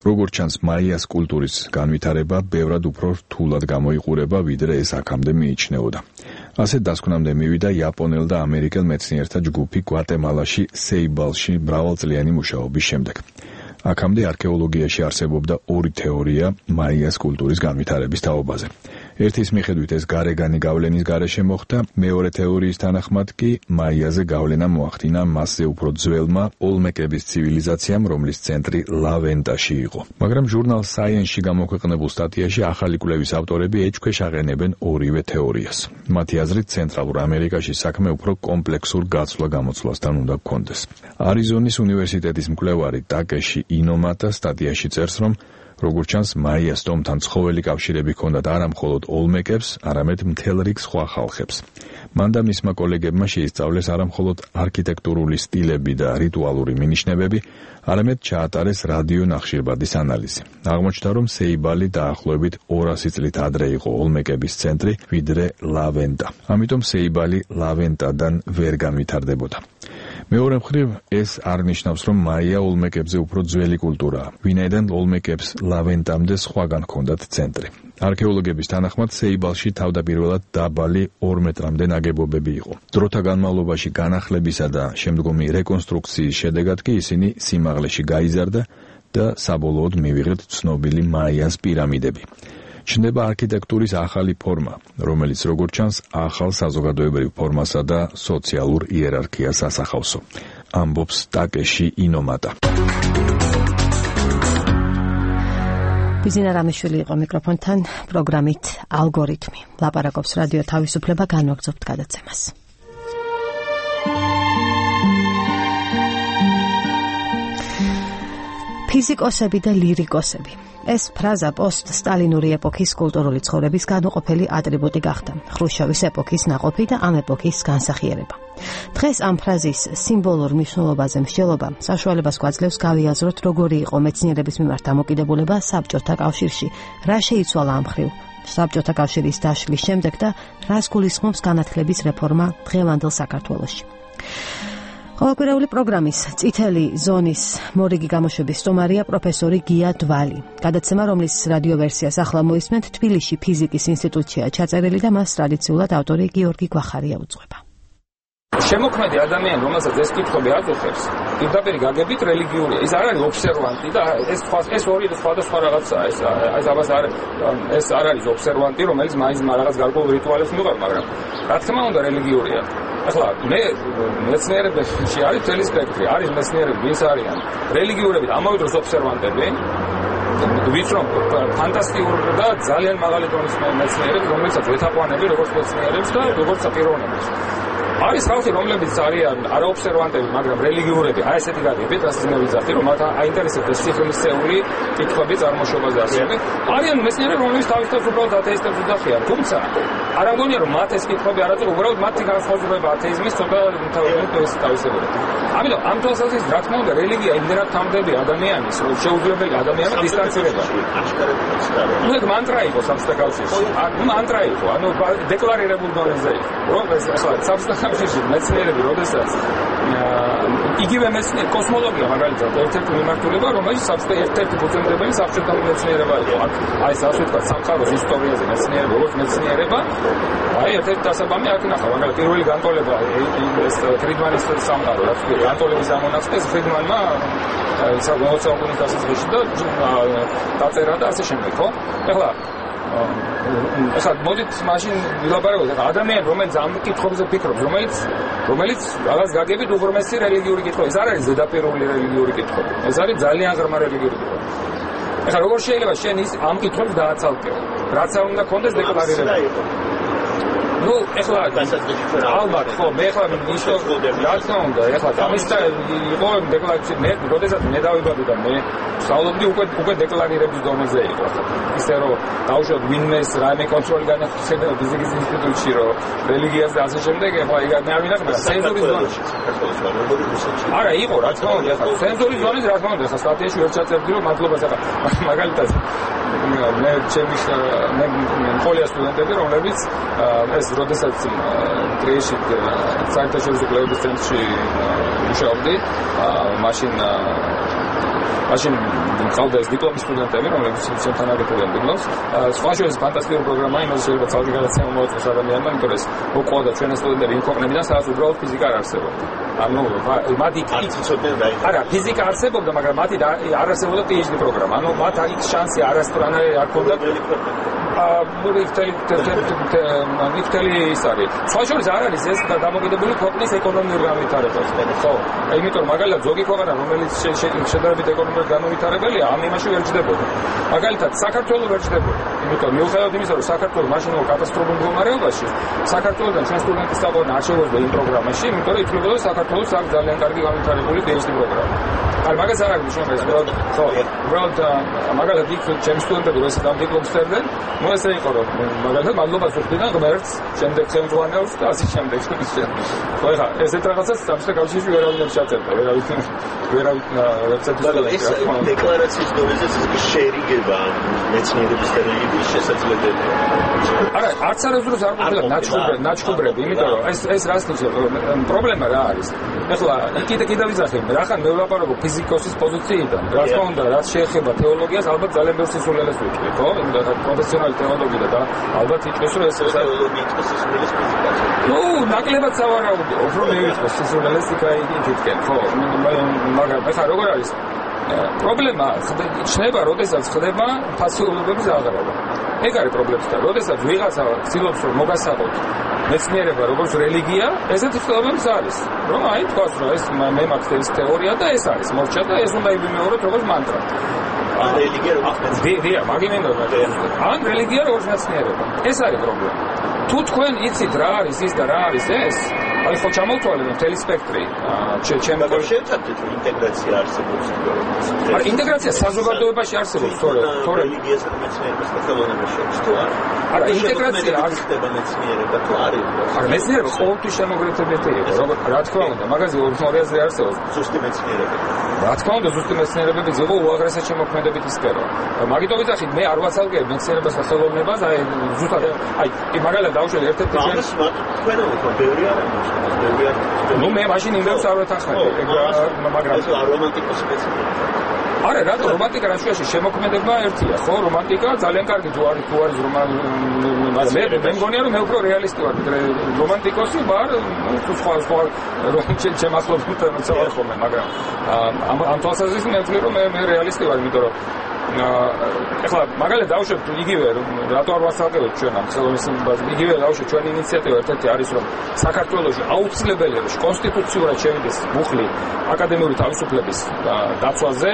როგორც ჩანს, მაიას კულტურის განვითარება ბევრად უფრო რთულად გამოიყურება, ვიდრე ეს აქამდე მიიჩნეოდა. ასეთ დასკვნამდე მივიდა იაპონელ და ამერიკელ მეცნიერთა ჯგუფი გვატემალაში, სეიბალში მრავალწლიანი მუშაობის შემდეგ. აქამდე არქეოლოგიაში არსებობდა ორი თეორია მაიას კულტურის განვითარების თაობაზე. ერთის მიხედვით ეს გარეგანი გავლენის გარეშე მოხდა, მეორე თეორიის თანახმად კი მაიაზე გავლენა მოახდინა მასზე უფრო ძველმა ოლმეკების ცივილიზაციამ, რომლის ცენტრი ლავენტაში იყო. მაგრამ ჟურნალ Science-ში გამოქვეყნებულ სტატიაში ახალი კვლევის ავტორები ეჭქვეშ აყენებენ ორივე თეორიას. მათი აზრით, ცენტრალურ ამერიკაში საქმე უფრო კომპლექსურ გაცვლა-გამოცვლასთან უნდა გქონდეს. არიზონის უნივერსიტეტის მკვლევარი ტაკეში ინომატა სტატიაში წერს, რომ როგორც ჩანს, მაიას ტომთან ცხოველი კავშირები ჰქონდათ არა მხოლოდ ოლმეკებს, არამედ მთელ რიგ სხვა ხალხებს. მან და მისმა კოლეგებმა შეისწავლეს არა მხოლოდ არქიტექტურული სტილები და რიტუალური მინიშნებები, არამედ ჩაატარეს რადიო ნახშირბადის ანალიზი. აღმოჩნდა, რომ სეიბალი დაახლოებით 200 წლით ადრე იყო ოლმეკების ცენტრი, ვიდრე ლავენტა. ამიტომ სეიბალი ლავენტადან ვერ განვითარდებოდა. მეორე მხრივ, ეს არ ნიშნავს, რომ მაია ოლმეკებზე უფრო ძველი კულტურაა, ვინაიდან ოლმეკებს ლავენტამდე სხვაგან ჰქონდათ ცენტრი. არქეოლოგების თანახმად, სეიბალში თავდაპირველად დაბალი 2 მეტრამდე ნაგებობები იყო. დროთა განმავლობაში განახლებისა და შემდგომი რეკონსტრუქციის შედეგად კი ისინი სიმაღლეში გაიზარდა და საბოლოოდ მივიღეთ ცნობილი მაიას პირამიდები. ჩნდება არქიტექტურის ახალი ფორმა, რომელიც როგორც ჩანს, ახალ საზოგადოებრივ ფორმასა და სოციალურ იერარქიას ასახავსო. ამბობს ტაკეში ინომატა. ბიძინა რამიშვილი იყო მიკროფონთან პროგრამით ალგორითმი. ლაპარაკობს რადიო თავისუფლება, განვაგრძობთ გადაცემას. ფიზიკოსები და ლირიკოსები. ეს ფრაზა პოსტ-სტალინური ეპოქის კულტურული ცხოვრების განუყოფელი ატრიბუტი გახდა, ხრუშჩოვის ეპოქის ნაყოფი და ამ ეპოქის განსახიერება. დღეს ამ ფრაზის სიმბოლურ მნიშვნელობაზე მსჯელობა საშუალებას გვაძლევს გავიაზროთ, როგორი იყო მეცნიერების მიმართ დამოკიდებულება საბჭოთა კავშირში, რა შეიცვალა ამ მხრივ საბჭოთა კავშირის დაშლის შემდეგ და რას გულისხმობს განათლების რეფორმა დღევანდელ საქართველოში. ყოველკვირეული პროგრამის წითელი ზონის მორიგი გამოშვების სტუმარია პროფესორი გია დვალი. გადაცემა, რომლის რადიო ვერსიას ახლა მოისმენთ, თბილისში ფიზიკის ინსტიტუტშია ჩაწერილი და მას ტრადიციულად ავტორი გიორგი გვახარია უძღვება. შემოქმედი ადამიანი, რომელსაც ეს კითხვები აკითხებს, პირდაპირ გაგებით რელიგიურია. ის არ არის ობსერვანტი და ეს ორი სხვადასხვა რაღაცაა. ეს არ არის ობსერვანტი, რომელიც მაინც რაღაც გარკვეულ რიტუალებს მიყვება, მაგრამ რა თქმა უნდა რელიგიურია. ახლა მე მეცნიერებაში არის მთელი სპექტრი, არის მეცნიერები, ვინც არიან რელიგიურები და ამავე დროს ობსერვანტები, ვიცნობ ფანტასტიკური და ძალიან მაღალი დონის მეცნიერები, რომელსაც ვეთაყვანები როგორც მეცნიერებს და როგორც პიროვნებას. არის ხალხი, რომლებიც არიან არაობსერვანტები, მაგრამ რელიგიურები, აი ესეთი გაგებით, რასაც მე ვიზახდი, რომ მათ აინტერესებდეს სიხილისეული კითხვები წარმოშობაზე ასეები. არიან მეცნიერები, რომლებიც თავისთავად უბრალოდ ათეისტებს უძახიან, თუმცა არ ამგონია, რომ მათ ეს კითხვები არ აწუხებენ, უბრალოდ მათი განსხვავება ათეიზმის ცოტა თავისებურებით. ამიტომ ამ თვალსაზრისით, რა თქმა უნდა, რელიგია იმდენად თამდები ადამიანის, რომ შეუძლებელი ადამიანმა დისტანცირება. ნუ ეს მანტრა იყო საბჭოთა კავშირში. მანტრა იყო, ანუ დეკლარირებულ დონეზე იყო. რომ ეს საბჭოთა კავშირში მეცნიერები, როდესაც იგივე მეცნიერ კოსმოლოგია მაგალითად ერთ-ერთი მიმართულება, რომელიც ერთ-ერთი ფუძემდებელი საბჭოთა მეცნიერება იყო. აი ასე ვთქვათ, სამყაროს ისტორიაზე მეცნიერება, როგორც მეცნიერება, აი ერთ-ერთი დასაბამი აქ ნახა, მაგალითად პირველი განტოლება ეს ფრიდმანის სამყარო, რაც განტოლების ამონაწყეს ფრიდმანმა საუკუნის დასაწყისში და დაწერა და ასე შემდეგ, ხო? ეხლა მოდით მაშინ ვილაპარაკოთ ადამიანი, რომელიც ამ კითხვებზე ფიქრობს, რომელიც რაღაც გაგებით უღრმესი რელიგიური კითხვა. ეს არ არის ზედაპირული რელიგიური კითხვა. ეს არის ძალიან ღრმა რელიგიური კითხვა. ეხლა როგორ შეიძლება შენ ის ამ კითხვებს დააცალკეო? რაც არ უნდა კონდეს დეკლარირება. ну, ეხლა ალბათ ხო, მე ეხლა ნიშნავს რა თქმა უნდა, ეხლა ამის და იყო დეკლარაცია, მე როდესაც მე დავიბადე და მე სწავლობდი უკვე დეკლარირების დონეზე იყო. ისე რომ დავუშვათ ვინმეს რაიმე კონტროლი განახორციელა ფიზიკის ინსტიტუტში, რომ რელიგიას და ასე შემდეგ, ეხლა მე არ ვინახავ სენსორის ზონაში. არა, იყო რა თქმა უნდა, ეხლა სენსორის ზონის რა თქმა უნდა, ეხლა სტატიაში ვერ ჩაწერდი, რომ მადლობა ეხლა მაგალითად მე ჩემი ხოლია სტუდენტები, რომლებიც ეს როდესაც ტრიეში საერთაშორისო კვლევების ცენტრში მუშაობდი, მაშინ მყავდა ეს დიპლომის სტუდენტები, რომლებიც ჩემთან აგებდნენ დიპლომს. სხვა შორის ფანტასტიკური პროგრამა, იმას შეიძლება თავი გადაცემა მოაწყოს ადამიანმა, იმიტომ რომ ეს მოყვოდა ჩვენი სტუდენტები იმ ქვეყნებიდან, სადაც უბრალოდ ფიზიკა არ არსებობდა. ანუ მათ იქ არა, ფიზიკა არსებობდა, მაგრამ მათი არ არსებობდა PhD პროგრამა. ანუ მათ აქ შანსი არასდროს არ ჰქონდა. მიქთელი ის არის. სხვა შორის არ არის ეს დამოკიდებული ქვეყნის ეკონომიურ განვითარებაზე. ხო, იმიტომ მაგალითად ზოგი ქვეყანა, რომელიც შედარებით ეკონომიკურად განვითარებელია, ამ იმაში ვერ ჯდებოდა. მაგალითად საქართველოს ვერ ჯდებოდა. იმიტომ მიუხედავად იმისა, რომ საქართველოს მაშინ კატასტროფულ მდგომარეობაში, საქართველოსთან ჩვენ სტუდენტის საყვარელი არ შევეძდა იმ პროგრამაში, იმიტომ რომ ითვლებოდა საქართველოს აქვს ძალიან კარგი განვითარებული PhD პროგრამა. არ მაგას არ არის მნიშვნელოვანი, ხო, უბრალოდ მაგალითად იქ ჩემი სტუდენტები როდესაც ამ დიპლომს წერდნენ, ну ესე იყო რომ მაგალითად მადლობას ვუხდიდან ღმერთს, შემდეგ ხელმძღვანელს და ასე შემდეგ. ხო ეხლა ესეთ რაღაცას საბჭოთა კავშირში ვერავინ შეაწერდა, ვერავინ ეს დეკლარაციის დონეზე შერიგება მეცნიერების და რელიგიის შესაძლებელია. არა, არც არასდროს არ ყოფილა ნაჩქუბრები, იმიტომ რომ ეს რას ნიშნავს? პრობლემა რა არის? ეხლა კიდე ვიზახებ, რახან მე ვლაპარაკობ ფიზიკოსის პოზიციიდან, რა თქმა უნდა, რაც შეეხება თეოლოგიას, ალბათ ძალიან ბევრ სისულელეს ვიტყვი, ხო? იმიტომ რომ პროფესიონალი თეოლოგია და ალბათ იტყვის რომ ეს თეოლოგია იტყვის სისულელეს ფიზიკას. ну, ნაკლებად სავარაუდო, უფრო მე ვიტყვი სისულელეს იქითკენ, ხო? მაგრამ ეხლა როგორ არის? პრობლემა ჩნდება, როდესაც ხდება ფასეულობების აღრავა. ეგ არის პრობლემა და როდესაც ვიღაცა ცდილობს რომ მოგასაღოთ მეცნიერება როგორც რელიგია, ესეთი ცდილობებს არის. რომ აი თქვას რომ ეს მე მაქვს ეს თეორია და ეს არის მორჩა და ეს უნდა ივიმეოროთ როგორც მანტრა. რელიგია როგორც მეცნიერება. ან რელიგია როგორც მეცნიერება. ეს არის პრობლემა. თუ თქვენ იცით რა არის ის და რა არის ეს, აი ხო ჩამოვთვალეთ მთელი სპექტრი. ჩემი შევცადეთ რომ ინტეგრაცია არსებობს. არა, ინტეგრაცია საზოგადოებაში არსებობს, თორე რელიგიასა და მეცნიერებას და ხელოვნებას შორის თუ არა. არა, ინტეგრაცია არ ხდება მეცნიერება თუ არის. არა, მეცნიერება ყოველთვის შემოგრეთებითი იყო, რა თქმა უნდა, მაგაზე ორი აზრი არსებობს. ზუსტი მეცნიერება. რა თქმა უნდა, ზუსტი მეცნიერებიც იყო უაღრესად შემოქმედებითი სფერო. მაგიტომ ვიძახით, მე არ ვაცალკევ მეცნიერებას და ხელოვნებას, აი ზუსტად აი მაგალითად დავუშველი ერთ-ერთი ამას თქვენო ბევრი არ არის. ну მე მაშინ იმებს არ ვეთანხმები, მაგრამ რომანტიკოსი მეცნიერება. არა, რატო რომანტიკა რაშუაში შემოქმედება ერთია, ხო? რომანტიკა ძალიან კარგი თუ არის მე მგონია რომ მე უფრო რეალისტი ვარ, რომანტიკოსი ვარ, თუ სხვა ჩემ ახლობთან ვცავარ ხოლმე, მაგრამ ამ თვალსაზრისით მე ვთვლი რომ მე რეალისტი ვარ, იმიტომ რომ ეხლა მაგალითად დავუშვებთ იგივე რატო არ ვასწავლეთ ჩვენ ამ ხელოვნების იგივე დავუშვებთ ჩვენი ინიციატივა ერთ-ერთი არის რომ საქართველოში აუცილებელია რომ კონსტიტუციურად შევიდეს მუხლი აკადემიური თავისუფლების დაცვაზე,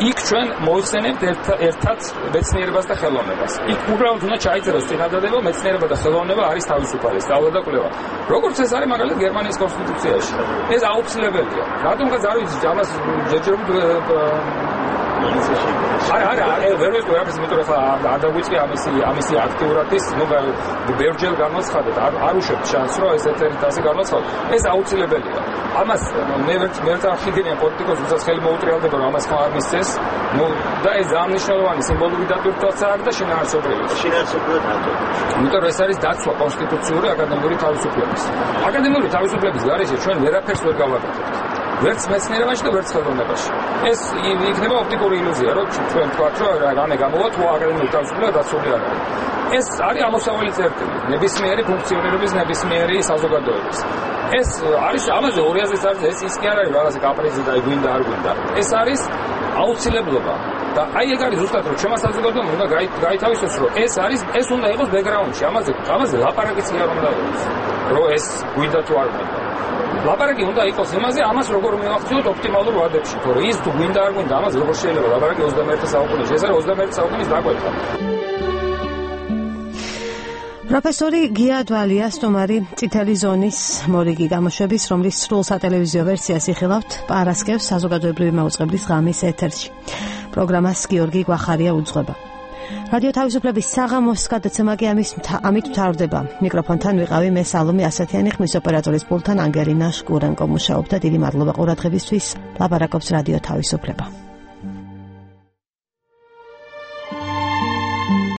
იქ ჩვენ მოიხსენებთ ერთად მეცნიერებას და ხელოვნებას. იქ უბრალოდ უნდა ჩაიწეროს წინადადება, მეცნიერება და ხელოვნება არის თავისუფალი, სწავლა და კვლევა. როგორც ეს არის მაგალითად გერმანიის კონსტიტუციაში. ეს აუცილებელია. რატომღაც არ ვიცი, ამას ჯერჯერობით მილიციაში. არა, ვერ ვიტყვი რაფერს, იმიტომ რომ არ დაგვიწყე ამისი აქტიურად ის, ნუ ბევრჯერ გამოცხადეთ, არ უშვებთ შანსს, რომ ეს ერთ-ერთი ასე გამოცხადოთ. ეს აუცილებელია. ამას მე ვერ წახიგენია პოლიტიკოს, ვისაც ხელი მოუტრიალდება, რომ ამას ხომ არ მისცეს. ნუ და ეს ძალიან მნიშვნელოვანი სიმბოლური დატვირთვაც არის და შინაარსობრივი. შინაარსობრივად რატო? იმიტომ რომ ეს არის დაცვა კონსტიტუციური აკადემიური თავისუფლების. აკადემიური თავისუფლების გარეშე ჩვენ ვერაფერს ვერ გავაკეთებთ. ვერც მეცნიერებაში და ვერც ხელოვნებაში. ეს იქნება ოპტიკური ილუზია, რომ ჩვენ ვთქვათ, რომ რამე გამოვა თუ აკადემიური თავისუფლება დაცული არ არის. ეს არის ამოსავალი წერტილი, ნებისმიერი ფუნქციონირების, ნებისმიერი საზოგადოების. ეს არის ამაზე 200-ზე არის, ეს ის კი არ არის რაღაცა კაპრიზი და გვინდა არ გვინდა. ეს არის აუცილებლობა. და აი ეგ არის ზუსტად რომ ჩემს საზოგადოებამ უნდა გაითავისოს რომ ეს უნდა იყოს ბექგრაუნდში ამაზე ლაპარაკიც კი არ უნდა იყოს რომ ეს გვინდა თუ არ გვინდა ლაპარაკი უნდა იყოს იმაზე ამას როგორ მივახციოთ ოპტიმალურ ვადებში თორე ის თუ გვინდა არ გვინდა ამას როგორ შეიძლება ლაპარაკი 21 საუკუნეში ეს არის 21 საუკუნის დაკვეთა პროფესორი გია დვალია სტუმარი წითელი ზონის მორიგი გამოშვების რომლის სრულ სატელევიზიო ვერსიას იხილავთ პარასკევს საზოგადოებრივი მაუწყებლის ღამის ეთერში პროგრამას გიორგი გვახარია უძღვება. რადიო თავისუფლების საღამოს გადაცემა კი ამით მთავრდება. მიკროფონთან ვიყავი მე სალომე ასათიანი, ხმის ოპერატორის პულტთან ანგელინა შკურენკო მუშაობდა. დიდი მადლობა ყურადღებისთვის. ლაპარაკობს რადიო თავისუფლება.